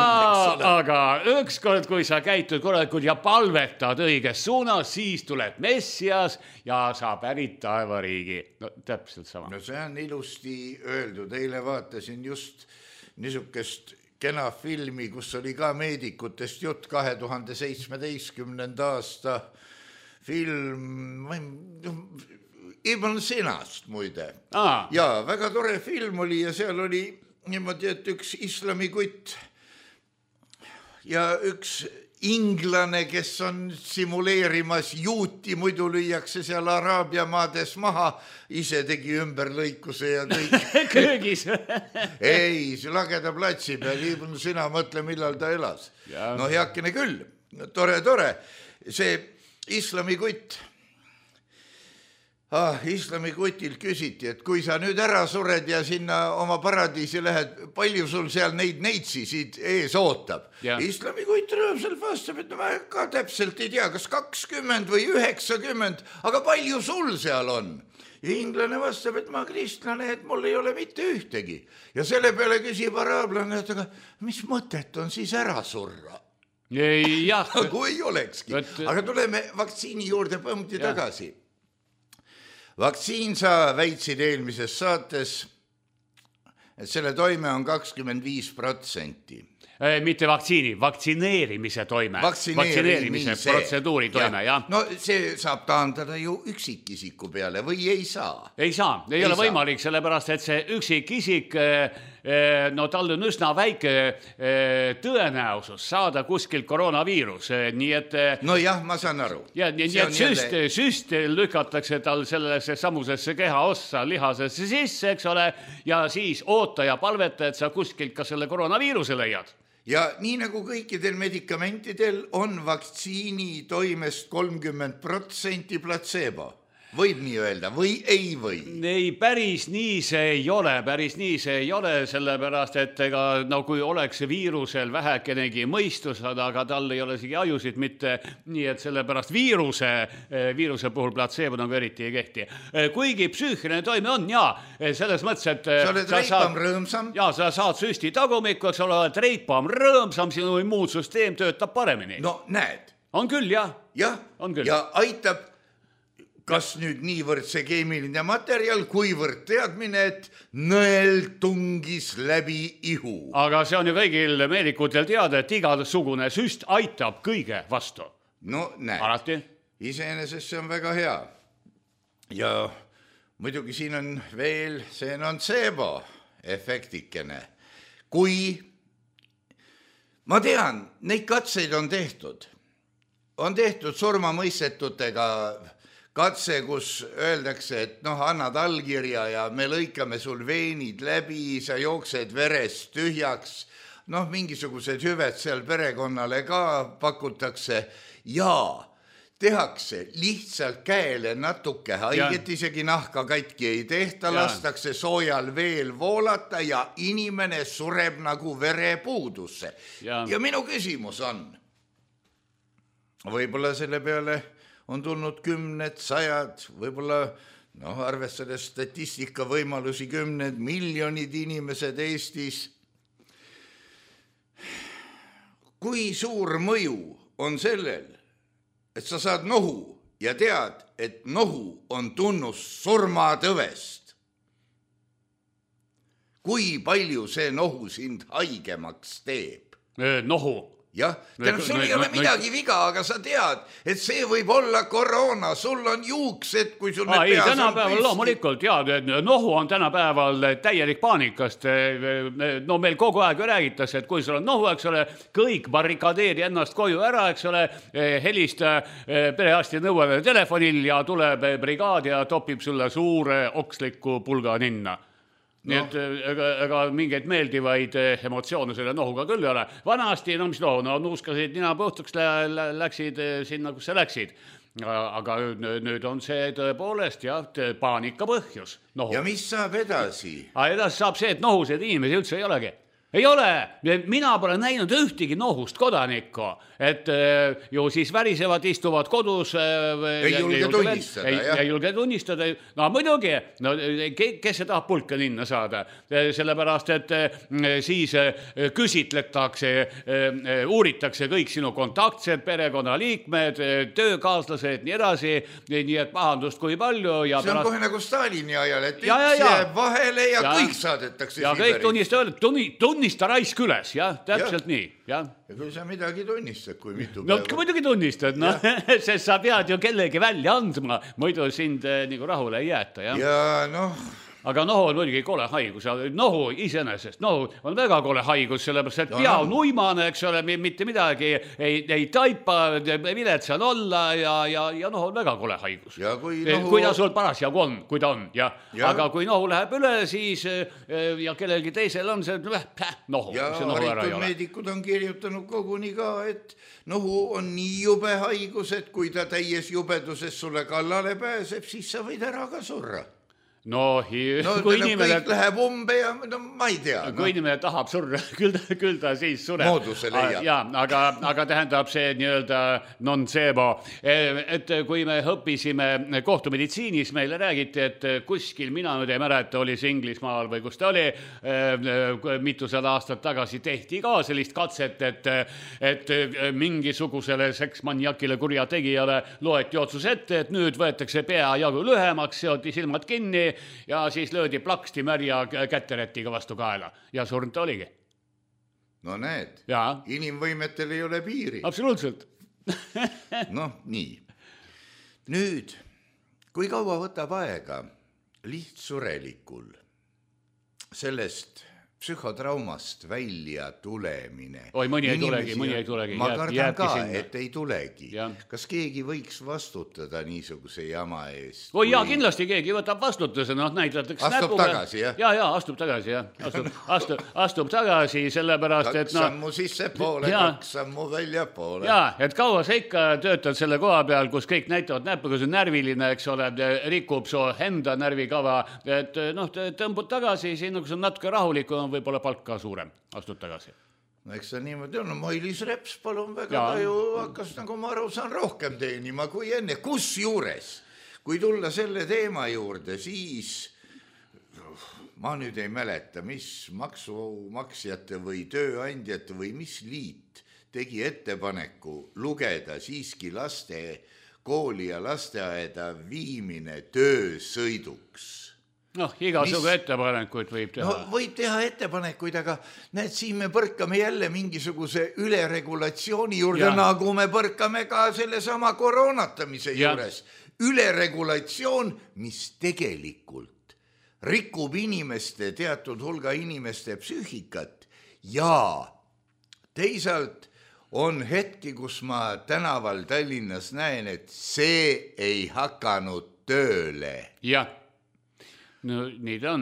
aga ükskord, kui sa käitud korralikult ja palvetad õiges suunas, siis tuleb Messias ja sa pärid taevariigi. No täpselt sama. No see on ilusti öeldud. Eile vaatasin just niisukest kena filmi, kus oli ka meedikutest jutt 2017. aasta film, Ibn Sinast muide. Ja väga tore film oli ja seal oli niimoodi, et üks islamikutt ja üks inglane, kes on simuleerimas juuti, muidu lüüakse seal Araabia maades maha, ise tegi ümberlõikuse ja kõik. Köögis. Ei, see lageda platsi peal, Ibn Sina, mõtle, millal ta elas. No heakene küll, tore. See islamikutt. Islamikutil küsiti, et kui sa nüüd ära sured ja sinna oma paradiisi lähed, palju sul seal neid neidsisid ees ootab? Islamikutt rõõmsalt vastab, et ma ka täpselt ei tea, kas 20 või 90, aga palju sul seal on? Ja inglane vastab, et ma kristlane, et mul ei ole mitte ühtegi. Ja selle peale küsib araablane, et aga mis mõtet on siis ära surra? Kui ei olekski. Aga tuleme vaktsiini juurde põmdi tagasi. Vaktsiin sa väitsid eelmises saates, et selle toime on 25%. Mitte vaktsiini, vaktsineerimise toime. Vaktsineerimise protseduuri toime, jah. No see saab taandada ju üksikisiku peale või ei saa? Ei saa, ei ole võimalik, sellepärast, et see üksikisik, no tal on üsna väike tõenäosus saada kuskilt koroonaviirus, nii et... No jah, ma saan aru. Ja nii et süst lükatakse tal sellesse samusesse keha ossa lihasesse sisse, eks ole, ja siis oota ja palveta, et sa kuskilt ka selle koroonaviiruse leiad. Ja nii nagu kõikidel medikamentidel on vaktsiini toimest 30% placebo. Võib nii öelda või ei või? Ei, päris nii see ei ole, sellepärast, et ega no kui oleks viirusel vähekenegi mõistus, aga tal ei ole isegi ajusid mitte, nii et sellepärast viiruse puhul placebo nagu eriti ei kehti. Kuigi psüühiline toime on, selles mõttes, et sa oled reipam rõõmsam. Sa saad süsti tagumikku, eks ole, oled reipam rõõmsam, sinu immuunsüsteem töötab paremini. No näed. On küll, jah. Ja aitab kas nüüd niivõrd see keemiline materjal, kuivõrd teadmine, et nõel tungis läbi ihu. Aga see on ju kõigil meedikutel teada, et igasugune süst aitab kõige vastu. No näed. Alati. Iseenesest see on väga hea. Ja muidugi siin on veel, see on nocebo efektikene. Kui, ma tean, neid katseid on tehtud surmamõistetutega katse, kus öeldakse, et annad allkirja ja me lõikame sul veenid läbi, sa jooksed verest tühjaks, mingisugused hüved seal perekonnale ka pakutakse ja tehakse lihtsalt käele natuke haiget, isegi nahka katki ei tehta, lastakse soojal veel voolata ja inimene sureb nagu verepuudusse. Ja minu küsimus on, võib-olla selle peale on tulnud 10, 100, võib-olla, arvestades statistika võimalusi 10 miljonid inimesed Eestis. Kui suur mõju on sellel, et sa saad nohu ja tead, et nohu on tunnus surmatõvest? Kui palju see nohu sind haigemaks teeb? Nohu? Jah, sul ei ole midagi viga, aga sa tead, et see võib olla koroona, sul on juuksed, kui sul need peas on tänapäeval püsti. Loomulikult, nohu on tänapäeval täielik paanikast. No meil kogu aeg räägitakse, et kui sul on nohu, eks ole, kõik barrikadeeri ennast koju ära, eks ole, helista perearsti nõuele telefonil ja tuleb brigaad ja topib sulle suure oksliku pulga ninna. Nii et ega mingeid meeldivaid emotsioone selle nohuga küll ei ole. Vanasti, mis nohu, nuuskasid nina põhtuks, läksid sinna, kus sa läksid. Aga nüüd on see tõepoolest paanika põhjus. Nohu. Ja mis saab edasi? Edasi saab see, et nohuseid inimesi üldse ei olegi. Ei ole, mina pole näinud ühtegi nohust kodanikku, et ju siis värisevad, istuvad kodus. Ei julge tunnistada, jah. Ei julge tunnistada, no muidugi, no, kes see tahab pulka linna saada, sellepärast, et siis küsitletakse, uuritakse kõik sinu kontaktsed, perekonnaliikmed, töökaaslased, nii edasi, nii et pahandust kui palju. Ja see on kohe nagu Stalini ajal, et üks jääb vahele ja kõik saadetakse ja kõik tunnista raisk üles, jah, täpselt nii, jah. Ja kui sa midagi tunnistad, kui mitu päeva. No muidugi tunnistad, no, sest sa pead ju kellegi välja andma, muidu sind nagu rahule ei jäeta, jah. Ja noh. Aga nohu on muidugi kole haigus, nohu iseenesest, nohu on väga kole haigus, sellepärast, et pea on uimane, eks ole, mitte midagi ei taipa, viletsal olla ja nohu on väga kole haigus. Kui ta sul parasjagu on, kui ta on, ja. Aga kui nohu läheb üle, siis ja kellelgi teisel on see nohu. Ja haritud meedikud on kirjutanud koguni ka, et nohu on nii jube haigus, et kui ta täies jubeduses sulle kallale pääseb, siis sa võid ära ka surra. No, kui inimene kõik läheb umbe ja no, ma ei tea. Kui inimene tahab surra, küll ta siis sureb. Mooduse leiab. Ja, aga tähendab see nii-öelda non-sebo. Et kui me õppisime kohtumeditsiinis, meile räägiti, et kuskil, mina nüüd ei mäleta, oli see Inglismaal või kus ta oli, mitusada aastat tagasi tehti ka sellist katset, et mingisugusele seksmaniakile kurjategijale loeti otsus ette, et nüüd võetakse pea jagu lühemaks, seoti silmad kinni ja siis löödi plaksti märja kätteretiga vastu kaela ja surnud oligi. No näed, ja. Inimvõimetel ei ole piiri. Absoluutselt. Noh, nii. Nüüd, kui kaua võtab aega lihtsurelikul sellest psühhotraumast välja tulemine. Oi, mõni ei tulegi. Ma kardan ka, et ei tulegi. Ja. Kas keegi võiks vastutada niisuguse jama eest? Oi, jaa, kindlasti keegi võtab vastutuse, noh, näidatakse astub tagasi, jah? Ja, astub tagasi, jah. Astub tagasi, sellepärast, et kaks sammu sisse poole, kaks sammu välja poole. Jaa, et kaua sa ikka töötad selle koha peal, kus kõik näitavad näppuga, see närviline, eks ole, rikub su enda närvikava, et noh, tõmbud tagasi, siin kui see on natuke rahulikum, võib-olla palk ka suurem, astud tagasi. No eks see niimoodi on, Mailis Reps palun väga, ta ju hakkas, nagu ma aru saan, rohkem teenima kui enne. Kus juures, kui tulla selle teema juurde, siis ma nüüd ei mäleta, mis maksumaksjate või tööandjate või mis liit tegi ettepaneku lugeda siiski laste kooli ja lasteaeda viimine töösõiduks. Noh, igasugu ettepanekuid võib teha. No võib teha ettepanekuid, aga näed, siin me põrkame jälle mingisuguse üleregulatsiooni juurde, nagu me põrkame ka selle sama koroonatamise juures. Üleregulatsioon, mis tegelikult rikub inimeste, teatud hulga inimeste psüühikat ja teisalt on hetki, kus ma tänaval Tallinnas näen, et see ei hakanud tööle. Jah. No nii ta on.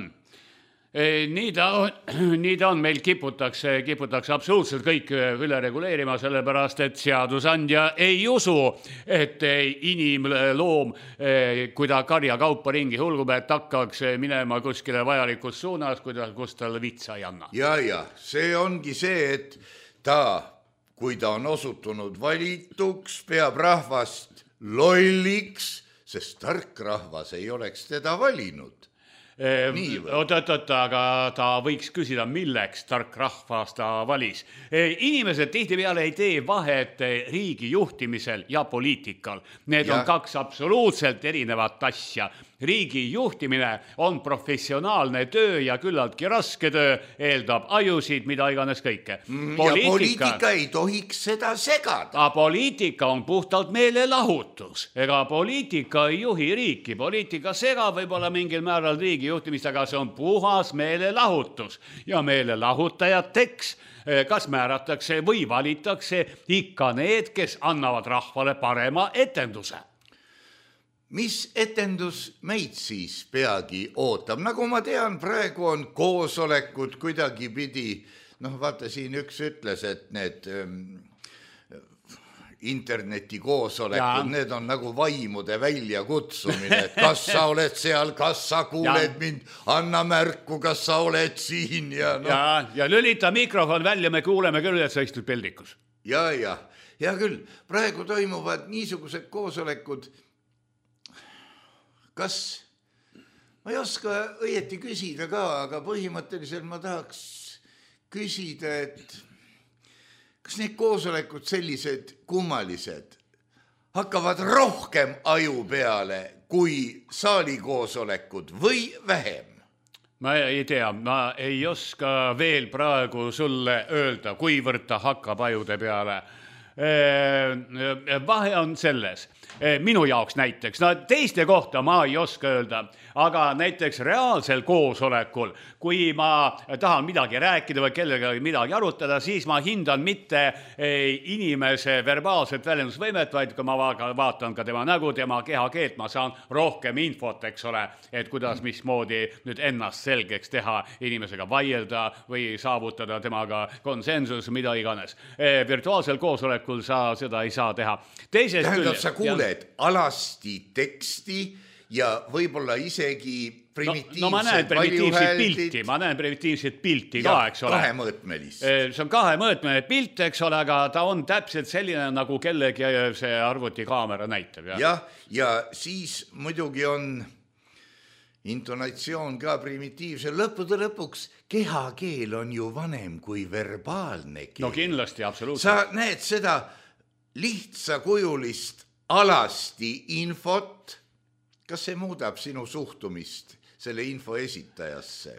Nii ta on, meil kiputakse absoluutselt kõik üle reguleerima, sellepärast, et seadusandja ei usu, et inimloom, kui ta karjakaupa ringi hulgub, et hakkaks minema kuskile vajalikus suunas, kus tal vitsa ei anna. Ja, see ongi see, et kui ta on osutunud valituks, peab rahvast lolliks, sest tark rahvas ei oleks teda valinud. Aga ta võiks küsida, milleks tark rahvas ta valis. Inimesed tihtipeale ei tee vahet riigi juhtimisel ja poliitikal. Need on kaks absoluutselt erinevat asja. Riigi juhtimine on professionaalne töö ja küllaltki raske töö, eeldab ajusid, mida iganes kõike. Ja poliitika ei tohiks seda segada. Poliitika on puhtalt meelelahutus. Ega poliitika ei juhi riiki. Poliitika segab võib-olla mingil määral riigi juhtimist, aga see on puhas meelelahutus. Ja meelelahutajateks kas määratakse või valitakse ikka need, kes annavad rahvale parema etenduse. Mis etendus meid siis peagi ootab? Nagu ma tean, praegu on koosolekud kuidagi pidi, noh vaata siin üks ütles, et need internetikoosolekud, need on nagu vaimude väljakutsumine, et kas sa oled seal, kas sa kuuled mind, anna märku, kas sa oled siin ja no. Ja lülita mikrofon välja, me kuuleme küll, et sa istud peldikus. Ja küll, praegu toimuvad niisugused koosolekud, kas, ma ei oska õieti küsida ka, aga põhimõtteliselt ma tahaks küsida, et kas need koosolekud sellised kummalised hakkavad rohkem aju peale kui saalikoosolekud või vähem? Ma ei tea, ma ei oska veel praegu sulle öelda, kuivõrd ta hakkab ajude peale. Vahe on selles, minu jaoks näiteks, no teiste kohta ma ei oska öelda, aga näiteks reaalsel koosolekul, kui ma tahan midagi rääkida või kellega midagi arutada, siis ma hindan mitte inimese verbaalset väljendusvõimet, vaid kui ma vaatan ka tema nägu, tema kehakeelt, ma saan rohkem infot, eks ole, et kuidas, mismoodi nüüd ennast selgeks teha, inimesega vaielda või saavutada temaga konsensus, mida iganes. Virtuaalsel koosolekul sa seda ei saa teha. Tähendab, sa kuuled alasti teksti ja võib-olla isegi primitiivset ma näen primitiivset pilti ka, eks ole. Kahemõõtmelist. See on kahemõõtmeline pilt, eks ole, aga ta on täpselt selline, nagu kellegi see arvutikaamera näitab. Ja siis muidugi on intonatsioon ka primitiivse. Lõppude lõpuks kehakeel on ju vanem kui verbaalne keel. No kindlasti, absoluutselt. Sa näed seda lihtsakujulist alasti infot. Kas see muudab sinu suhtumist selle info esitajasse?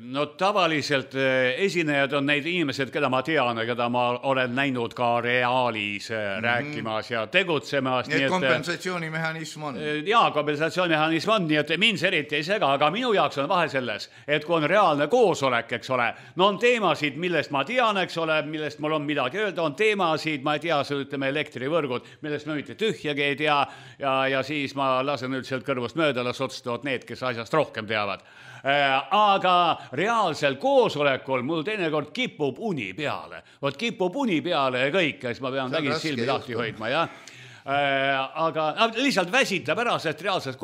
No tavaliselt esinejad on neid inimesed, keda ma tean ja keda ma olen näinud ka reaalis rääkimas ja tegutsemas. Nii et kompensatsioonimehhanism on. Jaa, kompensatsioonimehhanism on, nii et mind see eriti ei sega, aga minu jaoks on vahe selles, et kui on reaalne koosolek, eks ole, no on teemasid, millest ma tean, eks ole, millest mul on midagi öelda, on teemasid, ma ei tea, ütleme elektrivõrgud, millest ma mitte tühjagi ei tea ja siis ma lasen nüüd sealt kõrvust mööda, las otsustavad need, kes asjast rohkem teavad. Aga reaalsel koosolekul mul teinekord kipub uni peale. Vot kipub uni peale ja kõik, siis ma pean vägisi silmi lahti hoidma, jah. Aga lihtsalt väsitab ära, sest reaalsel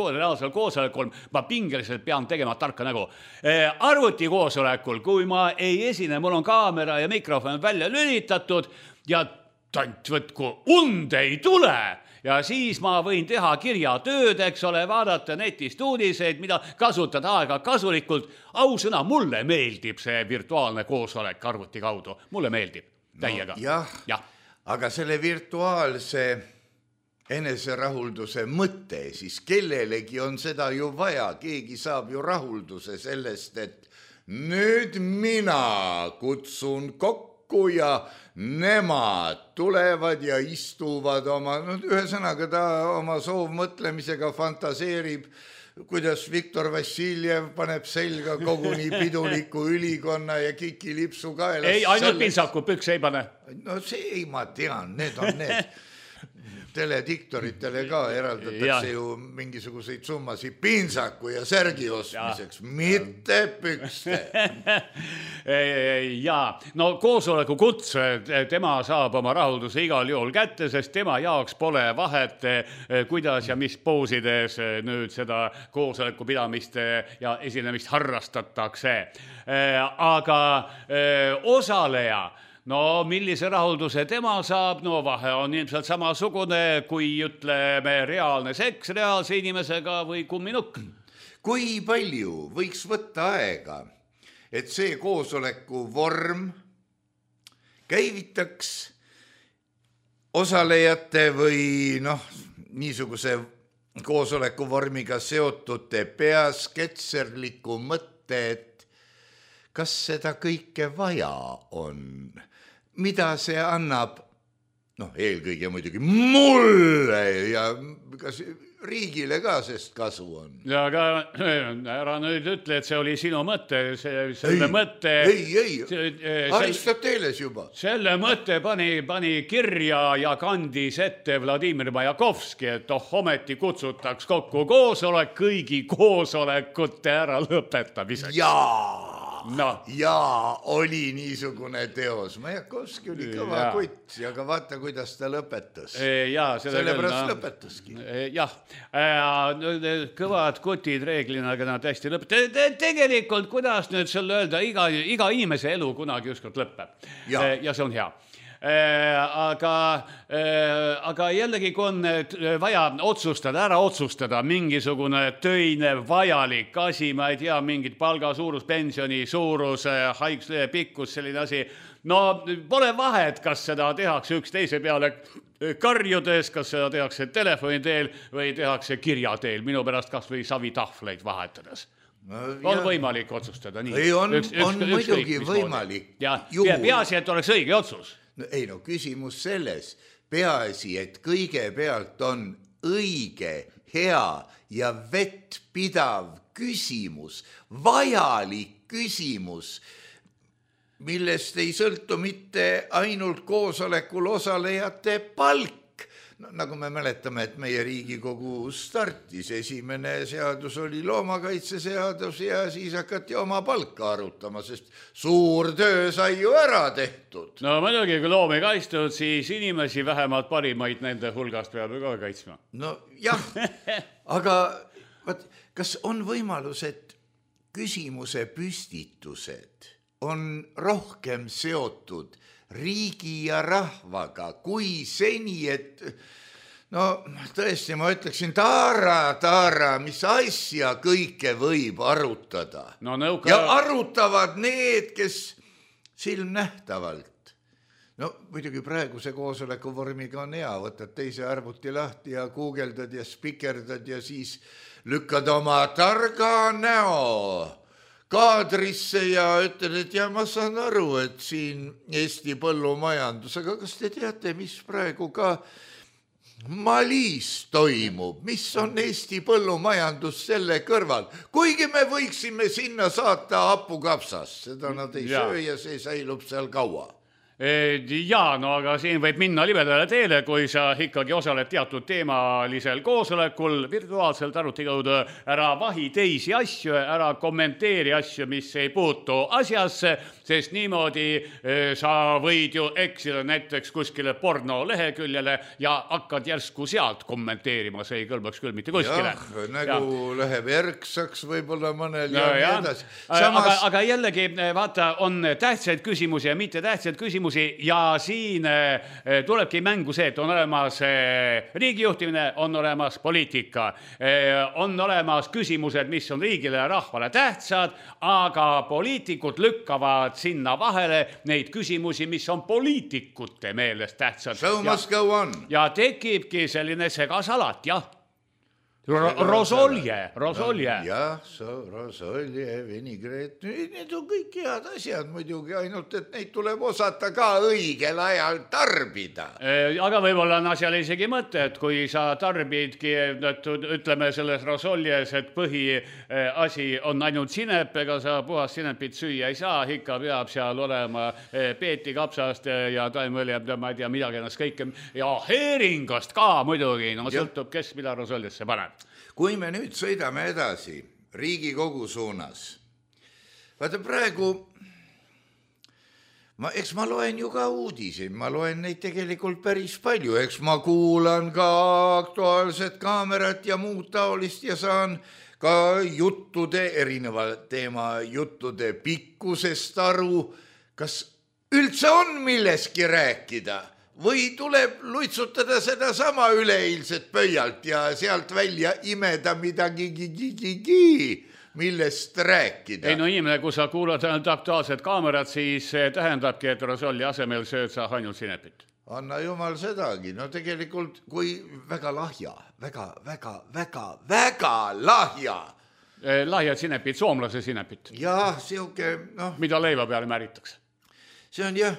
koosolekul ma pingeliselt pean tegema tarka nägu. Arvuti koosolekul, kui ma ei esine, mul on kaamera ja mikrofon välja lülitatud ja tant võtku, und ei tule. Ja siis ma võin teha kirjatööd, eks ole, vaadata netist uudiseid, mida kasutada aega kasulikult. Ausõna, mulle meeldib see virtuaalne koosolek arvuti kaudu. Mulle meeldib täiega. Jah, aga selle virtuaalse eneserahulduse mõte, siis kellelegi on seda ju vaja. Keegi saab ju rahulduse sellest, et nüüd mina kutsun kokku ja nemad tulevad ja istuvad oma, ühesõnaga ta oma soovmõtlemisega fantaseerib, kuidas Viktor Vassiljev paneb selga koguni piduliku ülikonna ja kikilipsu kaelas. Ei, ainult pintsaku, püks ei pane. No see ei, ma tean, need on need. Telediktoritele ka eraldatakse ju mingisuguseid summasid pintsaku ja särgi ostmiseks, mitte pükste. Jaa, no koosoleku kutse, tema saab oma rahulduse igal juhul kätte, sest tema jaoks pole vahet, kuidas ja mis poosides nüüd seda koosoleku pidamist ja esinemist harrastatakse. Aga osaleja, no millise rahulduse tema saab, no vahe on ilmselt samasugune, kui ütleme reaalne seks reaalse inimesega või kumminukk. Kui palju võiks võtta aega, et see koosoleku vorm käivitaks osalejate või niisuguse koosoleku vormiga seotute peas ketserliku mõtte, et kas seda kõike vaja on? Mida see annab, eelkõige muidugi mulle ja kas riigile ka sest kasu on? Ja aga ära nüüd ütle, et see oli sinu mõte, selle mõtte... Ei, Aristoteles juba. Selle mõtte pani kirja ja kandis ette Vladimir Majakovski, et ometi kutsutaks kokku koosolek kõigi koosolekute ära lõpetamiseks. Jaa! ja oli niisugune teos. Majakovski oli kõva kutt, aga vaata, kuidas ta lõpetas. Sellepärast lõpetaski. Jah, kõvad kutid reeglina, aga nad hästi lõpetavad. Tegelikult, kuidas nüüd selle öelda, iga inimese elu kunagi ükskord lõpeb. Ja see on hea. Aga jällegi, kui on vaja ära otsustada mingisugune töine vajalik asi, ma ei tea, mingid palga suurus, pensioni suurus, haiguslehe pikkus, selline asi, no pole vahet, kas seda tehakse üksteise peale karjudes, kas seda tehakse telefoni teel või tehakse kirja teel, minu pärast kas või savitahvleid vahetades. On võimalik otsustada nii. On muidugi võimalik. Peaasi, et oleks õige otsus. Ei no, küsimus selles. Peaasi, et kõigepealt on õige, hea ja vettpidav küsimus, vajalik küsimus, millest ei sõltu mitte ainult koosolekul osalejate palk. Nagu me mäletame, et meie Riigikogu startis, esimene seadus oli loomakaitseseadus ja siis hakati oma palka arutama, sest suur töö sai ju ära tehtud. No muidugi, kui loomi kaitstud, siis inimesi vähemalt parimaid nende hulgast peab ka kaitsma. No jah, aga kas on võimalus, et küsimuse püstitused on rohkem seotud riigi ja rahvaga kui seni, et tõesti ma ütleksin, taara, mis asja kõike võib arutada. Ja arutavad need, kes silmnähtavalt. Muidugi praeguse koosoleku vormiga on hea, võtad teise arvuti lahti ja guugeldad ja spikerdad ja siis lükkad oma targa näo kaadrisse ja ütled, et ma saan aru, et siin Eesti põllumajandus, aga kas te teate, mis praegu ka Malis toimub, mis on Eesti põllumajandus selle kõrval, kuigi me võiksime sinna saata hapukapsas, seda nad ei söö ja see säilub seal kaua. Aga siin võib minna libedale teele, kui sa ikkagi osaled teatud teemalisel koosolekul, virtuaalselt arvuti kaudu, ära vahi teisi asju, ära kommenteeri asju, mis ei puutu asjasse, sest niimoodi sa võid ju eksida näiteks kuskile porno leheküljele ja hakkad järsku sealt kommenteerima, see ei kõlbaks küll mitte kuskile. Nagu läheb erksaks võib-olla mõnel ja nii edasi. Aga jällegi, vaata, on tähtsaid küsimusi ja mitte tähtsaid küsimusi ja siin tulebki mängu see, et on olemas riigijuhtimine, on olemas poliitika, on olemas küsimused, mis on riigile ja rahvale tähtsad, aga poliitikud lükkavad sinna vahele neid küsimusi, mis on poliitikute meelest tähtsad. So must go on. Ja tekibki selline segasalat, jah. Rosolje. Jah, rosolje, vinigreet, need on kõik head asjad muidugi, ainult et neid tuleb osata ka õigel ajal tarbida. Aga võib-olla on asjal isegi mõte, et kui sa tarbidki, ütleme selles rosoljes, et põhiasi on ainult sinep, ega sa puhast sinepit süüa ei saa, ikka peab seal olema peeti kapsast ja taimõlja, ma ei tea, midagi ennast kõike ja heeringast ka muidugi, sõltub, kes mida rosoljesse paneb. Kui me nüüd sõidame edasi Riigikogu suunas, vaata praegu, eks ma loen ju ka uudiseid, ma loen neid tegelikult päris palju, eks ma kuulan ka Aktuaalset Kaamerat ja muud taolist ja saan ka juttude, erineva teema juttude pikkusest aru, kas üldse on milleski rääkida? Või tuleb luitsutada seda sama üleeilset pöialt ja sealt välja imeda midagi millest rääkida. Ei no inimene, kui sa kuulad Aktuaalset Kaamerat, siis tähendabki, et rosolli asemel sööd sa ainult sinepit. Anna jumal sedagi. No tegelikult, kui väga lahja, väga lahja. Lahjad sinepid, soomlase sinepit. Jah, siuke, mida leiva peale märitakse. See on jah,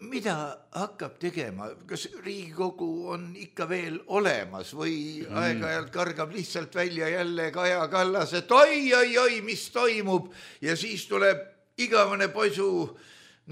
mida hakkab tegema, kas Riigikogu on ikka veel olemas või aeg-ajalt kargab lihtsalt välja jälle Kaja Kallas, et oi, mis toimub ja siis tuleb igavene poisu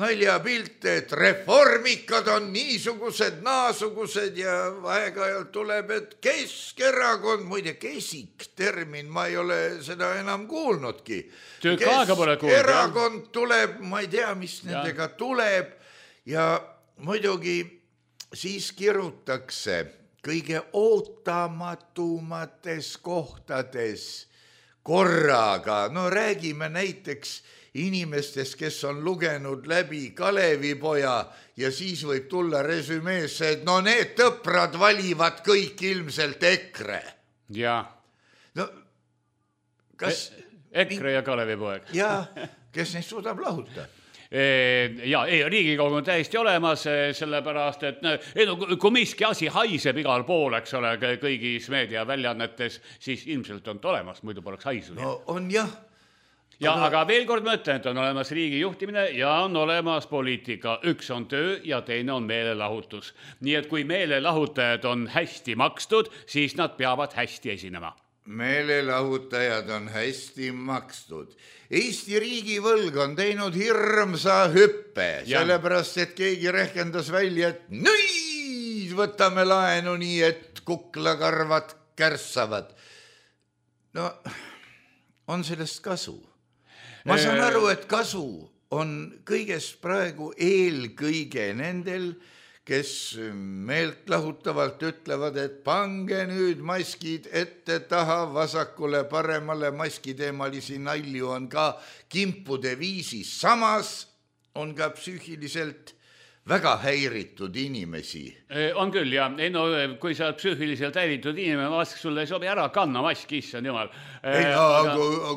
naljapilte, et reformikad on niisugused, naasugused ja aeg-ajalt tuleb, et Keskerakond, muide kesik termin, ma ei ole seda enam kuulnudki. Tükk aega pole kuulnud. Keskerakond tuleb, ma ei tea, mis nendega tuleb ja muidugi siis kirutakse kõige ootamatumates kohtades korraga. No räägime näiteks inimestest, kes on lugenud läbi Kalevipoja ja siis võib tulla resümeesse, et no need tõprad valivad kõik ilmselt EKRE. Jaa. No kas... EKRE ja Kalevipoeg. Jaa, kes neist suudab lahuta? Ja Riigikogu on täiesti olemas, sellepärast, et kui miski asi haiseb igal pool, eks ole, kõigis meediaväljaannetes, siis ilmselt on olemas, muidu poleks haisunud. No on jah. Ja aga veel kord ma ütlen, et on olemas riigi juhtimine ja on olemas poliitika. Üks on töö ja teine on meelelahutus. Nii et kui meelelahutajad on hästi makstud, siis nad peavad hästi esinema. Meelelahutajad on hästi makstud. Eesti riigivõlg on teinud hirmsa hüppe, sellepärast, et keegi rehkendas välja, et nüüd võtame laenu nii, et kuklakarvad kärssavad. No, on sellest kasu. Ma saan aru, et kasu on kõigest praegu eelkõige nendel, kes meelt lahutavalt ütlevad, et pange nüüd maskid ette taha vasakule paremale, maskiteemalisi nalju on ka kimpude viisis. Samas on ka psüühiliselt väga häiritud inimesi. On küll, ja no, kui sa oled psüühiliselt häiritud inimene, vask sulle ei sobi ära kanna maski, issand jumal.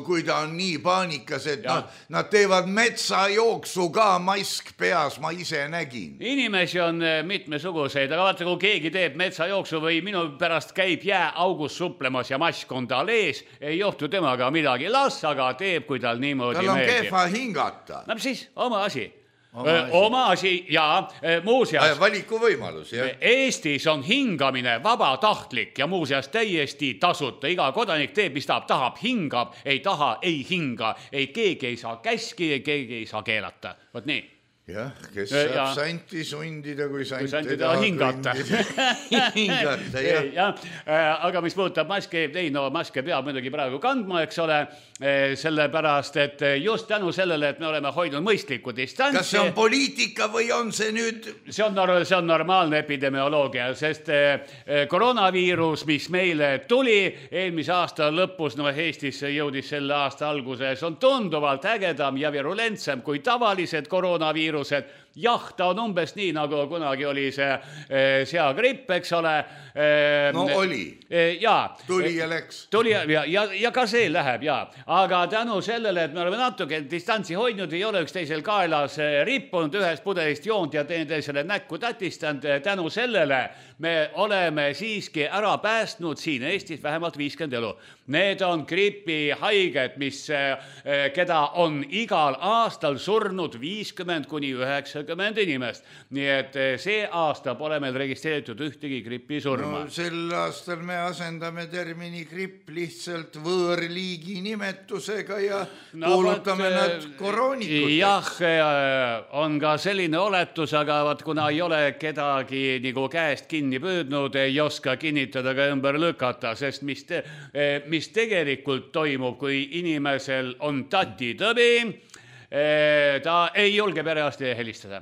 Kui ta on nii paanikas, et nad teevad metsajooksu ka mask peas, ma ise nägin. Inimesi on mitmesuguseid, aga vaata, kui keegi teeb metsajooksu või minu pärast käib jääaugus suplemas ja mask on tal ees, ei johtu temaga midagi. Las aga teeb, kui tal niimoodi tal on kehva hingata. No siis, oma asi. Oma asi ja muuseas valiku võimalus, jah. Eestis on hingamine vabatahtlik ja muuseas täiesti tasuta. Iga kodanik teeb, mis tahab, hingab, ei taha, ei hinga, ei keegi ei saa käski, keegi ei saa keelata. Võt nii. Jah, kes saab santi sundida, kui santi taha hingata. Hingata, jah. Aga mis puudutab maske, maske peab muidugi praegu kandma, eks ole, sellepärast, et just tänu sellele, et me oleme hoidnud mõistlikku distantsi. Kas see on poliitika või on see nüüd? See on normaalne epidemioloogia, sest koroonaviirus, mis meile tuli eelmise aasta lõpus, Eestisse jõudis selle aasta alguses, on tunduvalt ägedam ja virulentsem kui tavalised koroonaviirused. Jah, ta on umbes nii, nagu kunagi oli see seagripp, eks ole. No oli. Tuli ja läks. Tuli ja ka see läheb, Aga tänu sellele, et me oleme natuke distantsi hoidnud, ei ole üksteisel kaelas rippunud, ühest pudelist joont ja teineteisele näkku tatistanud. Tänu sellele me oleme siiski ära päästnud siin Eestis vähemalt 50 elu. Need on gripihaiged, keda on igal aastal surnud 50–90 inimest. Nii et see aasta pole meil registreeritud ühtegi gripisurma. No, sel aastal me asendame termini gripp lihtsalt võõrliigi nimetusega ja kuulutame nad koroonikuteks. Jah, on ka selline oletus, aga kuna ei ole kedagi nagu käest kinni püüdnud, ei oska kinnitada ka ümber lükata, sest mis tegelikult toimub, kui inimesel on tatitõbi, ta ei julge perearsti helistada.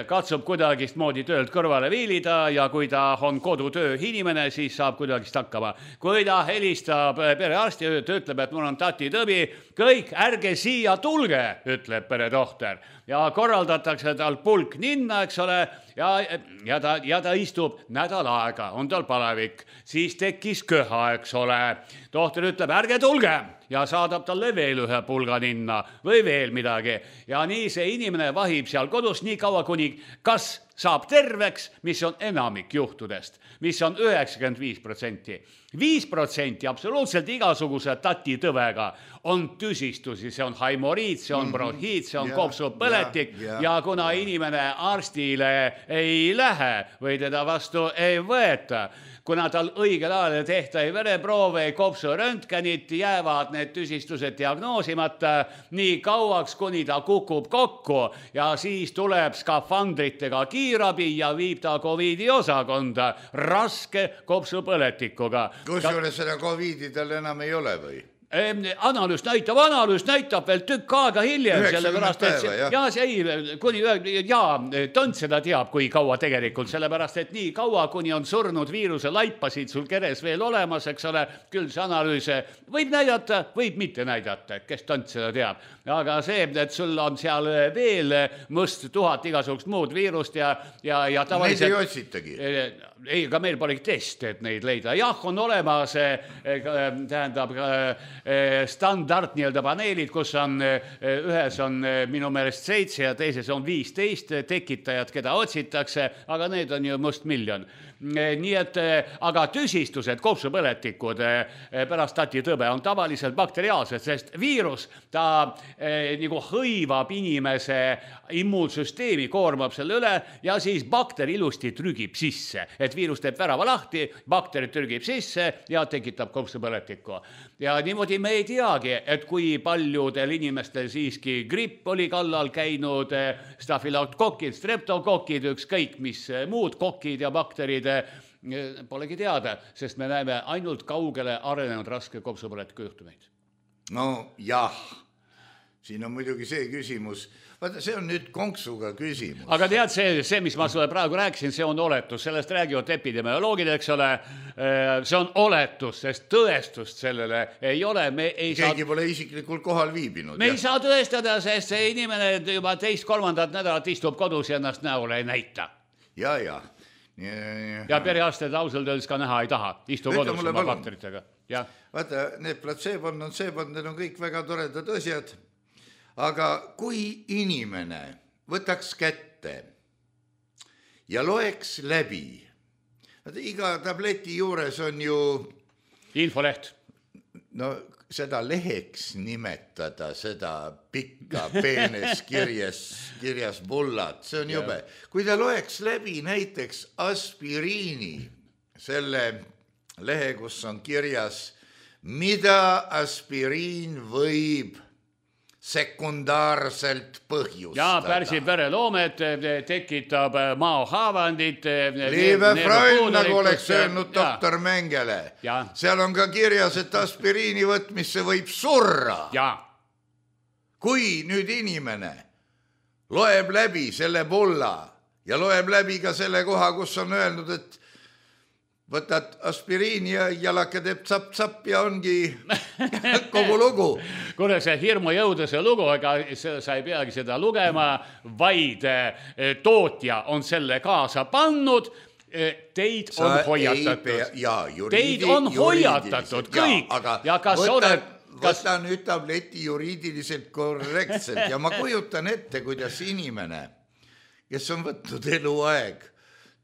Katsub kuidagist moodi töölt kõrvale viilida ja kui ta on kodutöö inimene, siis saab kuidagist hakkama. Kui ta helistab perearsti, ta ütleb, et mul on tatitõbi, kõik ärge siia tulge, ütleb peretohter. Ja korraldatakse tal pulk ninna, eks ole, ja ta istub nädal aega, on tal palevik, siis tekkis köha, eks ole. Tohter ütleb, ärge tulge ja saadab talle veel ühe pulga ninna või veel midagi. Ja nii see inimene vahib seal kodus nii kaua, kuni kas saab terveks, mis on enamik juhtudest, mis on 95%. 5% absoluutselt igasuguse tatitõvega on tüsistusi, see on haimoriid, see on bronhiid, see on kopsupõletik ja kuna inimene arstile ei lähe või teda vastu ei võeta, kuna tal õigel ajal tehta ei vereproove, ei kopsuröntgenit, jäävad need tüsistused diagnoosimata nii kauaks, kuni ta kukub kokku ja siis tuleb skafandritega kiirabi ja viib ta COVID-i osakonda raske kopsupõletikuga. Kusjuures seda COVID-i tal enam ei ole või? Analüüs näitab veel tükk aega hiljem, sellepärast, et Tont seda teab, kui kaua tegelikult, sellepärast, et nii kaua, kuni on surnud viiruse laipasid sul keres veel olemas, eks ole, küll see analüüs võib näidata, võib mitte näidata, kes Tont seda teab. Aga see, et sul on seal veel mõst 1000 igasugust muud viirust ja tavaliselt... Neid ei otsitagi? Ei, ka meil polegi test, et neid leida. Jah, on olemas, tähendab, standard nii-öelda paneelid, kus on ühes on minu meelest 7 ja teises on 15 tekitajad, keda otsitakse, aga need on ju mustmiljon. Nii et, aga tüsistused, kopsupõletikud pärast tatitõbe on tavaliselt bakteriaalsed, sest viirus, ta nagu hõivab inimese immuunsüsteemi, koormab selle üle ja siis bakter ilusti trügib sisse, et viirus teeb värava lahti, bakter trügib sisse ja tekitab kopsupõletikku. Ja niimoodi me ei teagi, et kui paljudel inimestel siiski gripp oli kallal käinud, stafilokokid, streptokokid, ükskõik mis muud kokid ja bakterid, polegi teada, sest me näeme ainult kaugele arenenud raske kopsupõletiku juhtumeid. No jah, siin on muidugi see küsimus, vaata, see on nüüd konksuga küsimus. Aga tead, see, mis ma sulle praegu rääkisin, see on oletus, sellest räägivad epidemioloogid, eks ole, see on oletus, sest tõestust sellele ei ole. Keegi pole isiklikult kohal viibinud. Me ei saa tõestada, sest see inimene juba 2-3 nädalat istub kodus ja ennast näole ei näita. Ja. Ja perearsted ausalt öeldes ka näha ei taha, istu kodus oma bakteritega. Vaata, need platsebon on seebon, need on kõik väga toredad asjad, aga kui inimene võtaks kätte ja loeks läbi, iga tableti juures on ju infoleht. No seda leheks nimetada, seda pikka peenes kirjas bullat, see on jube. Kui ta loeks läbi näiteks aspiriini, selle lehe, kus on kirjas, mida aspiriin võib sekundaarselt põhjustada. Ja pärsib vereloomet, tekitab maohaavandit. Liive Freund, nagu oleks öelnud doktor Mengele. Seal on ka kirjas, et aspiriini võtmisse võib surra. Kui nüüd inimene loeb läbi selle bulla ja loeb läbi ka selle koha, kus on öelnud, et võtad aspiriini ja jalake teeb tsapp-tsapp ja ongi kogu lugu. Kuule, see hirmu jõuda see lugu, ega sa ei peagi seda lugema, vaid tootja on selle kaasa pannud, teid on hoiatatud. Teid on hoiatatud kõik. Võta nüüd tableti juriidiliselt korrektselt ja ma kujutan ette, kuidas inimene, kes on võtnud eluaeg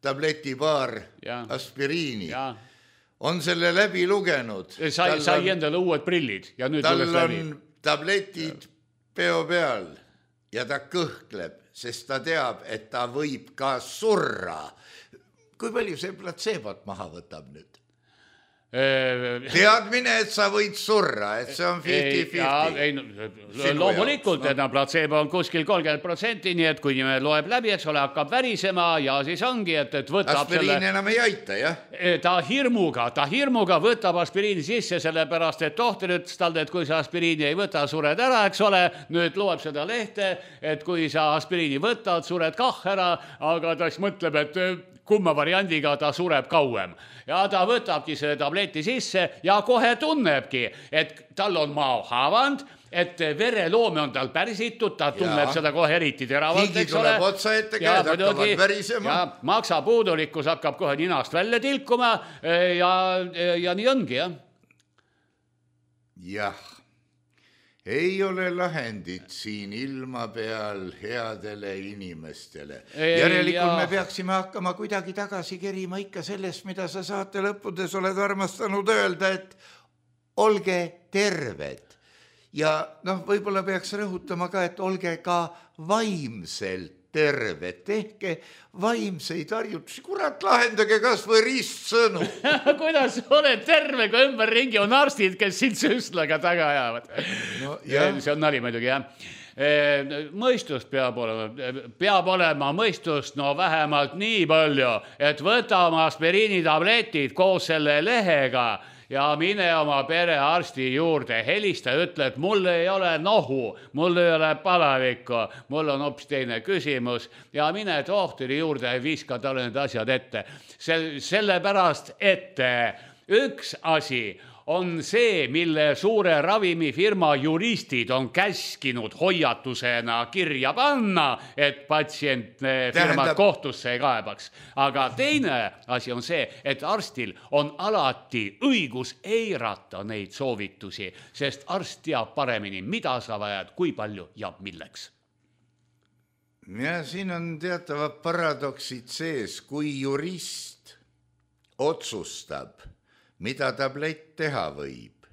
tabletipaar aspiriini, on selle läbi lugenud. Sai endale uued prillid ja nüüd tal on tabletid peo peal ja ta kõhkleb, sest ta teab, et ta võib ka surra. Kui palju see platsebot maha võtab nüüd? Teadmine, et sa võid surra, et see on 50-50. Loomulikult, et platsebo on kuskil 30%, nii et kui me loeb läbi, eks ole, hakkab värisema ja siis ongi, et võtab aspiriin enam ei aita, jah? Ta hirmuga võtab aspiriini sisse, sellepärast, et tohter ütles talle, et kui sa aspiriini ei võta, sured ära, eks ole, nüüd loeb seda lehte, et kui sa aspiriini võtad, sured kah ära, aga ta siis mõtleb, et kumma variandiga ta sureb kauem. Ja ta võtabki selle tableti sisse ja kohe tunnebki, et tal on maohaavand, et vereloome on tal pärsitud, ta tunneb seda kohe eriti teravalt, eks ole. Higi tuleb otsa ette, käed hakkavad värisema. Ja maksapuudulikkus hakkab kohe ninast välja tilkuma ja nii ongi, jah. Jah, ei ole lahendit siin ilma peal headele inimestele. Järelikult me peaksime hakkama kuidagi tagasi kerima ikka sellest, mida sa saate lõppudes oled armastanud öelda, et olge terved. Ja võib-olla peaks rõhutama ka, et olge ka vaimselt terved, tehke vaimseid harjutusi, kurat, lahendage kas või ristsõnu. Kuidas oled terve, kui ümberringi on arstid, kes sind süstlaga taga ajavad? See on nali muidugi, jah. Mõistust peab olema mõistust, vähemalt nii palju, et võta oma aspiriinitabletid koos selle lehega ja mine oma perearsti juurde, helista, ütle, et mul ei ole nohu, mul ei ole palavikku, mul on hoopis teine küsimus ja mine tohtri juurde ja viska talle need asjad ette. Sellepärast, et üks asi on see, mille suure ravimifirma juristid on käskinud hoiatusena kirja panna, et patsient firmad kohtusse ei kaebaks. Aga teine asi on see, et arstil on alati õigus eirata neid soovitusi, sest arst teab paremini, mida sa vajad, kui palju ja milleks. Ja siin on teatavad paradoksid sees, kui jurist otsustab, mida tablett teha võib.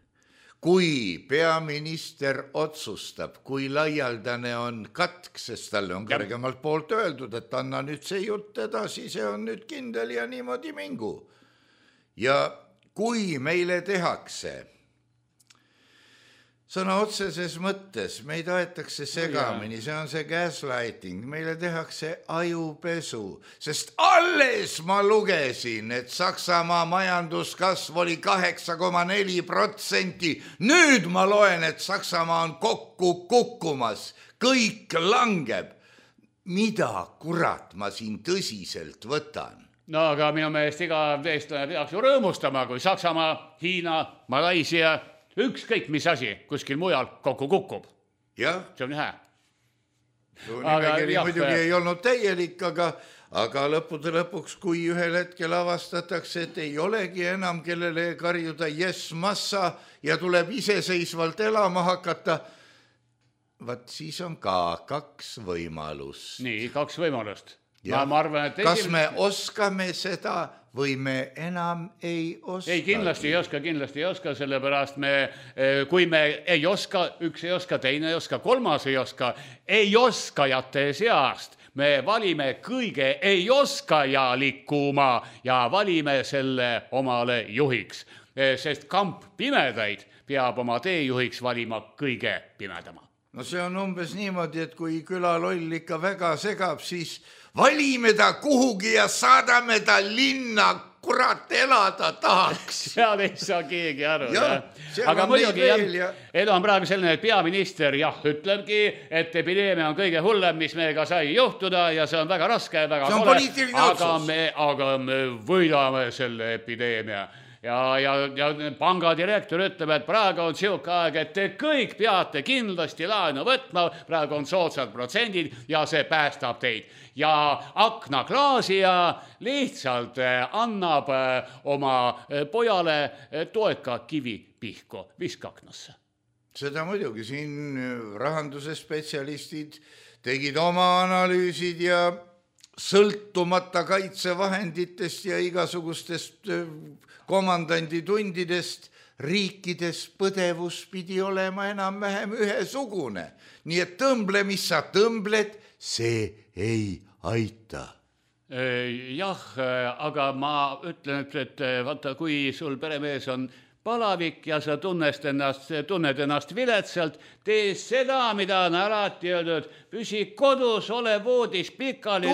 Kui peaminister otsustab, kui laialdane on katk, sest talle on kõrgemalt poolt öeldud, et anna nüüd see jutt edasi, see on nüüd kindel ja niimoodi mingu. Ja kui meile tehakse sõna otseses mõttes, meid aetakse segamini, see on see gaslighting, meile tehakse ajupesu, sest alles ma lugesin, et Saksamaa majanduskasv oli 8,4%. Nüüd ma loen, et Saksamaa on kokku kukkumas, kõik langeb. Mida kurat ma siin tõsiselt võtan? Aga minu meelest iga eestlane peaks ju rõõmustama, kui Saksamaa, Hiina, Malaisia, ükskõik mis asi kuskil mujal kokku kukub. Jah. See on hea. Su nimekiri muidugi ei olnud täielik, aga lõppude lõpuks, kui ühel hetkel avastatakse, et ei olegi enam kellele karjuda yes massa ja tuleb iseseisvalt elama hakata, vaat siis on ka 2 võimalust. Nii, 2 võimalust. Ma arvan, et kas me oskame seda või me enam ei oska? Ei, kindlasti ei oska, sellepärast kui me ei oska, üks ei oska, teine ei oska, kolmas ei oskajate seast, me valime kõige ei oskajalikuma ja valime selle omale juhiks, sest kamp pimedaid peab oma teejuhiks valima kõige pimedama. No see on umbes niimoodi, et kui külaloll ikka väga segab, siis valime ta kuhugi ja saadame ta linna, kurat elada tahaks. Seal ei saa keegi aru. Aga muidugi elu on praegu selline, et peaminister ütlebki, et epideemia on kõige hullem, mis meiega sai juhtuda ja see on väga raske, väga kole, aga me võidame selle epideemia. Ja pangadirektor ütleb, et praegu on siuke aeg, et te kõik peate kindlasti laenu võtma, praegu on soodsad protsendid ja see päästab teid. Ja aknaklaasija lihtsalt annab oma pojale toeka kivi pihku, viska aknasse. Seda muidugi, siin rahanduse spetsialistid tegid oma analüüsid ja sõltumata kaitsevahenditest ja igasugustest komandanditundidest riikides põdevus pidi olema enam-vähem ühesugune. Nii et tõmble, mis sa tõmbled, see ei aita. Jah, aga ma ütlen, et vaata, kui sul peremees on palavik ja sa tunned ennast viletsalt, tee seda, mida on alati öeldud, püsi kodus, ole voodis pikali,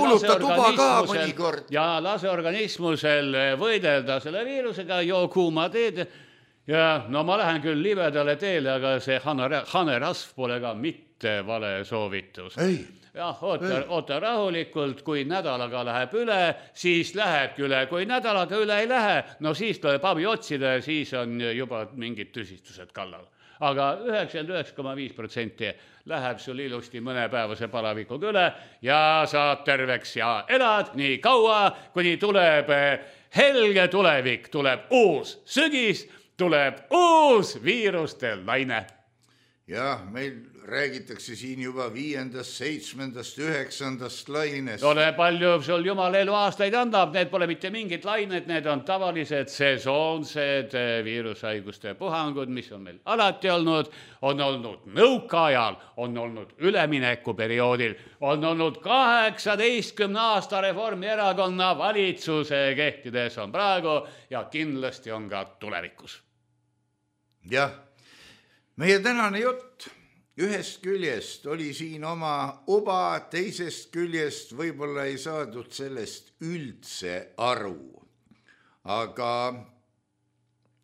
lase organismusel võidelda selle viirusega, joo kuuma teed. Ja ma lähen küll libedale teele, aga see hanerasv pole ka mitte vale soovitus. Oota rahulikult, kui nädalaga läheb üle, siis lähebki üle, kui nädalaga üle ei lähe, no siis tuleb abi otsida ja siis on juba mingid tõsistused kallal. Aga 99,5% läheb sul ilusti mõnepäevase palavikuga üle ja saad terveks ja elad nii kaua, kuni tuleb helge tulevik, tuleb uus sügis, tuleb uus viiruste laine. Jah, meil räägitakse siin juba 5., 7., 9. lainest. Ole palju sul jumal elu aastaid annab, need pole mitte mingid lained, need on tavalised sesoonsed viirushaiguste puhangud, mis on meil alati olnud, on olnud nõukaajal, on olnud üleminekuperioodil, on olnud 18 aasta Reformierakonna valitsuse kehtides on praegu ja kindlasti on ka tulevikus. Jah, meie tänane jutt ühest küljest oli siin oma uba, teisest küljest võib-olla ei saadud sellest üldse aru. Aga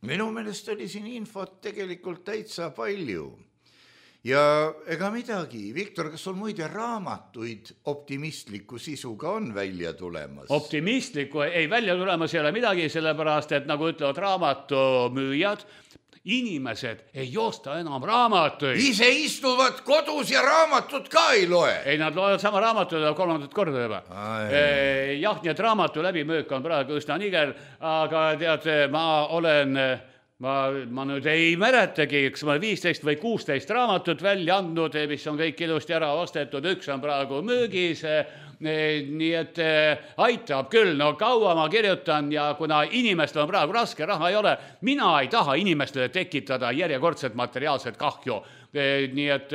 minu meelest oli siin infot tegelikult täitsa palju. Ja ega midagi, Viktor, kas sul muide raamatuid optimistliku sisuga on välja tulemas? Optimistliku ei välja tulemas ei ole midagi, sellepärast, et nagu ütlevad raamatumüüjad, inimesed ei joosta enam raamatuid. Ise istuvad kodus ja raamatut ka ei loe. Ei, nad loevad sama raamatut 3. korda juba. Jah, nii et raamatu läbimüük on praegu üsna niger, aga tead, ma nüüd ei mäletagi, eks ma 15 või 16 raamatut välja andnud, mis on kõik ilusti ära ostetud, üks on praegu müügis, nii et aitab küll, no kaua ma kirjutan ja kuna inimestel on praegu raske, raha ei ole, mina ei taha inimestele tekitada järjekordset materiaalset kahju, nii et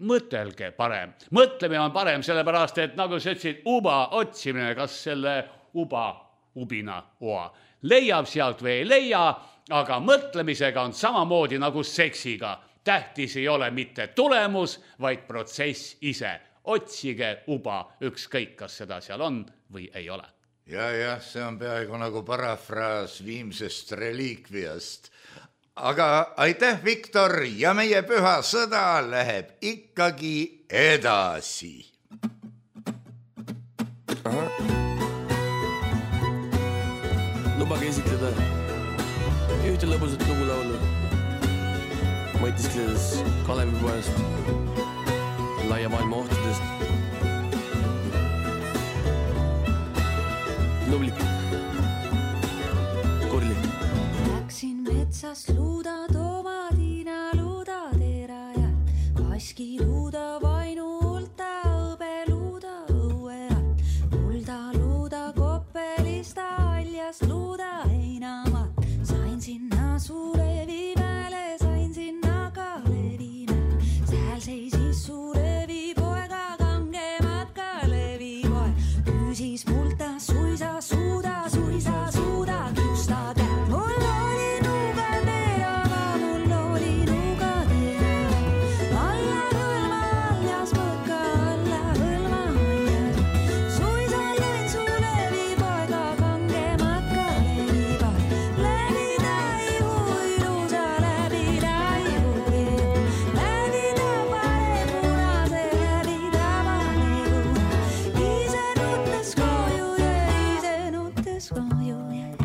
mõtelge parem, mõtlemine on parem, sellepärast et nagu sa ütlesid, uba otsimine, kas selle ubina oa leiab sealt või ei leia, aga mõtlemisega on samamoodi nagu seksiga. Tähtis ei ole mitte tulemus, vaid protsess ise. Otsige uba, ükskõik, kas seda seal on või ei ole. Ja, see on peaaegu nagu parafraas viimsest reliikviast. Aga aitäh, Viktor, ja meie püha sõda läheb ikkagi edasi. Lubage esitleda ühte lõbusat lugu laulu. Mõtiskledes Kalevipoest, laia maailma ohtudest. Nublik, korlik. Läksin metsas luuda tomadina luuda terajal, kaski luuda vainu ulta, õbe luuda õuerat, mulda luuda koppelista aljas luuda heinamat. Sain sinna suure viimele, sain sinna ka levimäe, sääl seisis suure viipoega kangemat ka levipoeg, küsis multa suisa suuda kiusta kätt. Mul oli nuuga terava, mul oli nuuga terava, alla hõlma aljas mõõka, alla hõlma aljas. Suisa lõin su levipoega kangemat ka levipoeg, levida ei huilusa, levida ei huilu, levida pare punase, levida pare punase, ise nuttes koju jäi, ise nuttes koju jäi.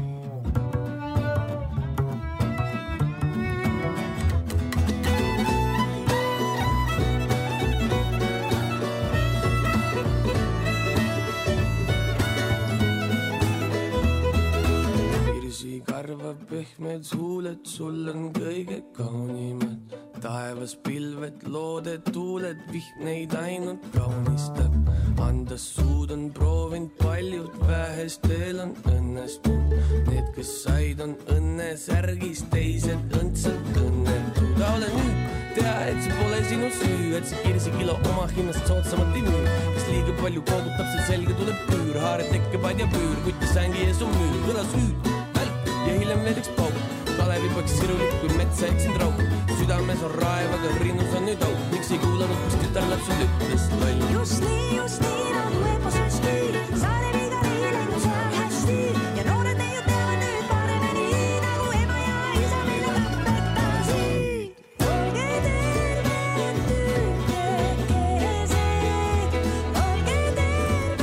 Virsi karvab pehmed huuled, sul on kõige kaunimad. Taevas pilved, looded, tuuled, vihm neid ainult kaunistab. Andas suud on proovinud paljud, vähestel on õnnestunud. Need, kes said, on õnnesärgis, teised õndsalt õnnetud. Ole nüüd, tea, et see pole sinu süü, et see kirsikilo oma hinnast soodsamalt ei müü. Kes liiga palju koogutab, see selge tuleb püür, haared tekkevad ja püür, kutti sängi ees on müür, kõlas hüüd, välk ja hiljem veel üks pauk. Kalevipoeks sirulik, kui metsa eksind rauk, südames on raev, aga rinnus on nüüd auk. Miks ei kuulanud, kus tütarlapsed ütles loll? Just nii nagu eposest küür, saare viga ei läinud seal hästi ja noored neiud teavad nüüd paremini, nagu ema ja isa meile õpetasid. Olge terved tütrekesed, olge terved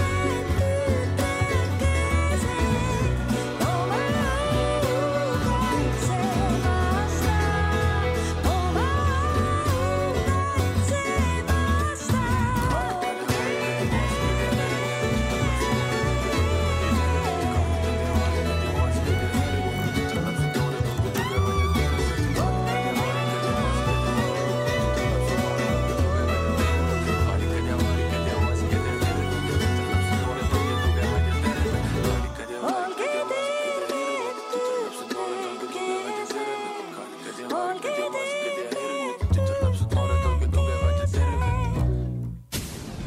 tütrekesed, oma au kaitse vastu, oma au kaitse vastu.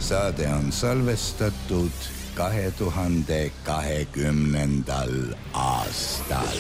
saade on salvestatud 2020. aastal.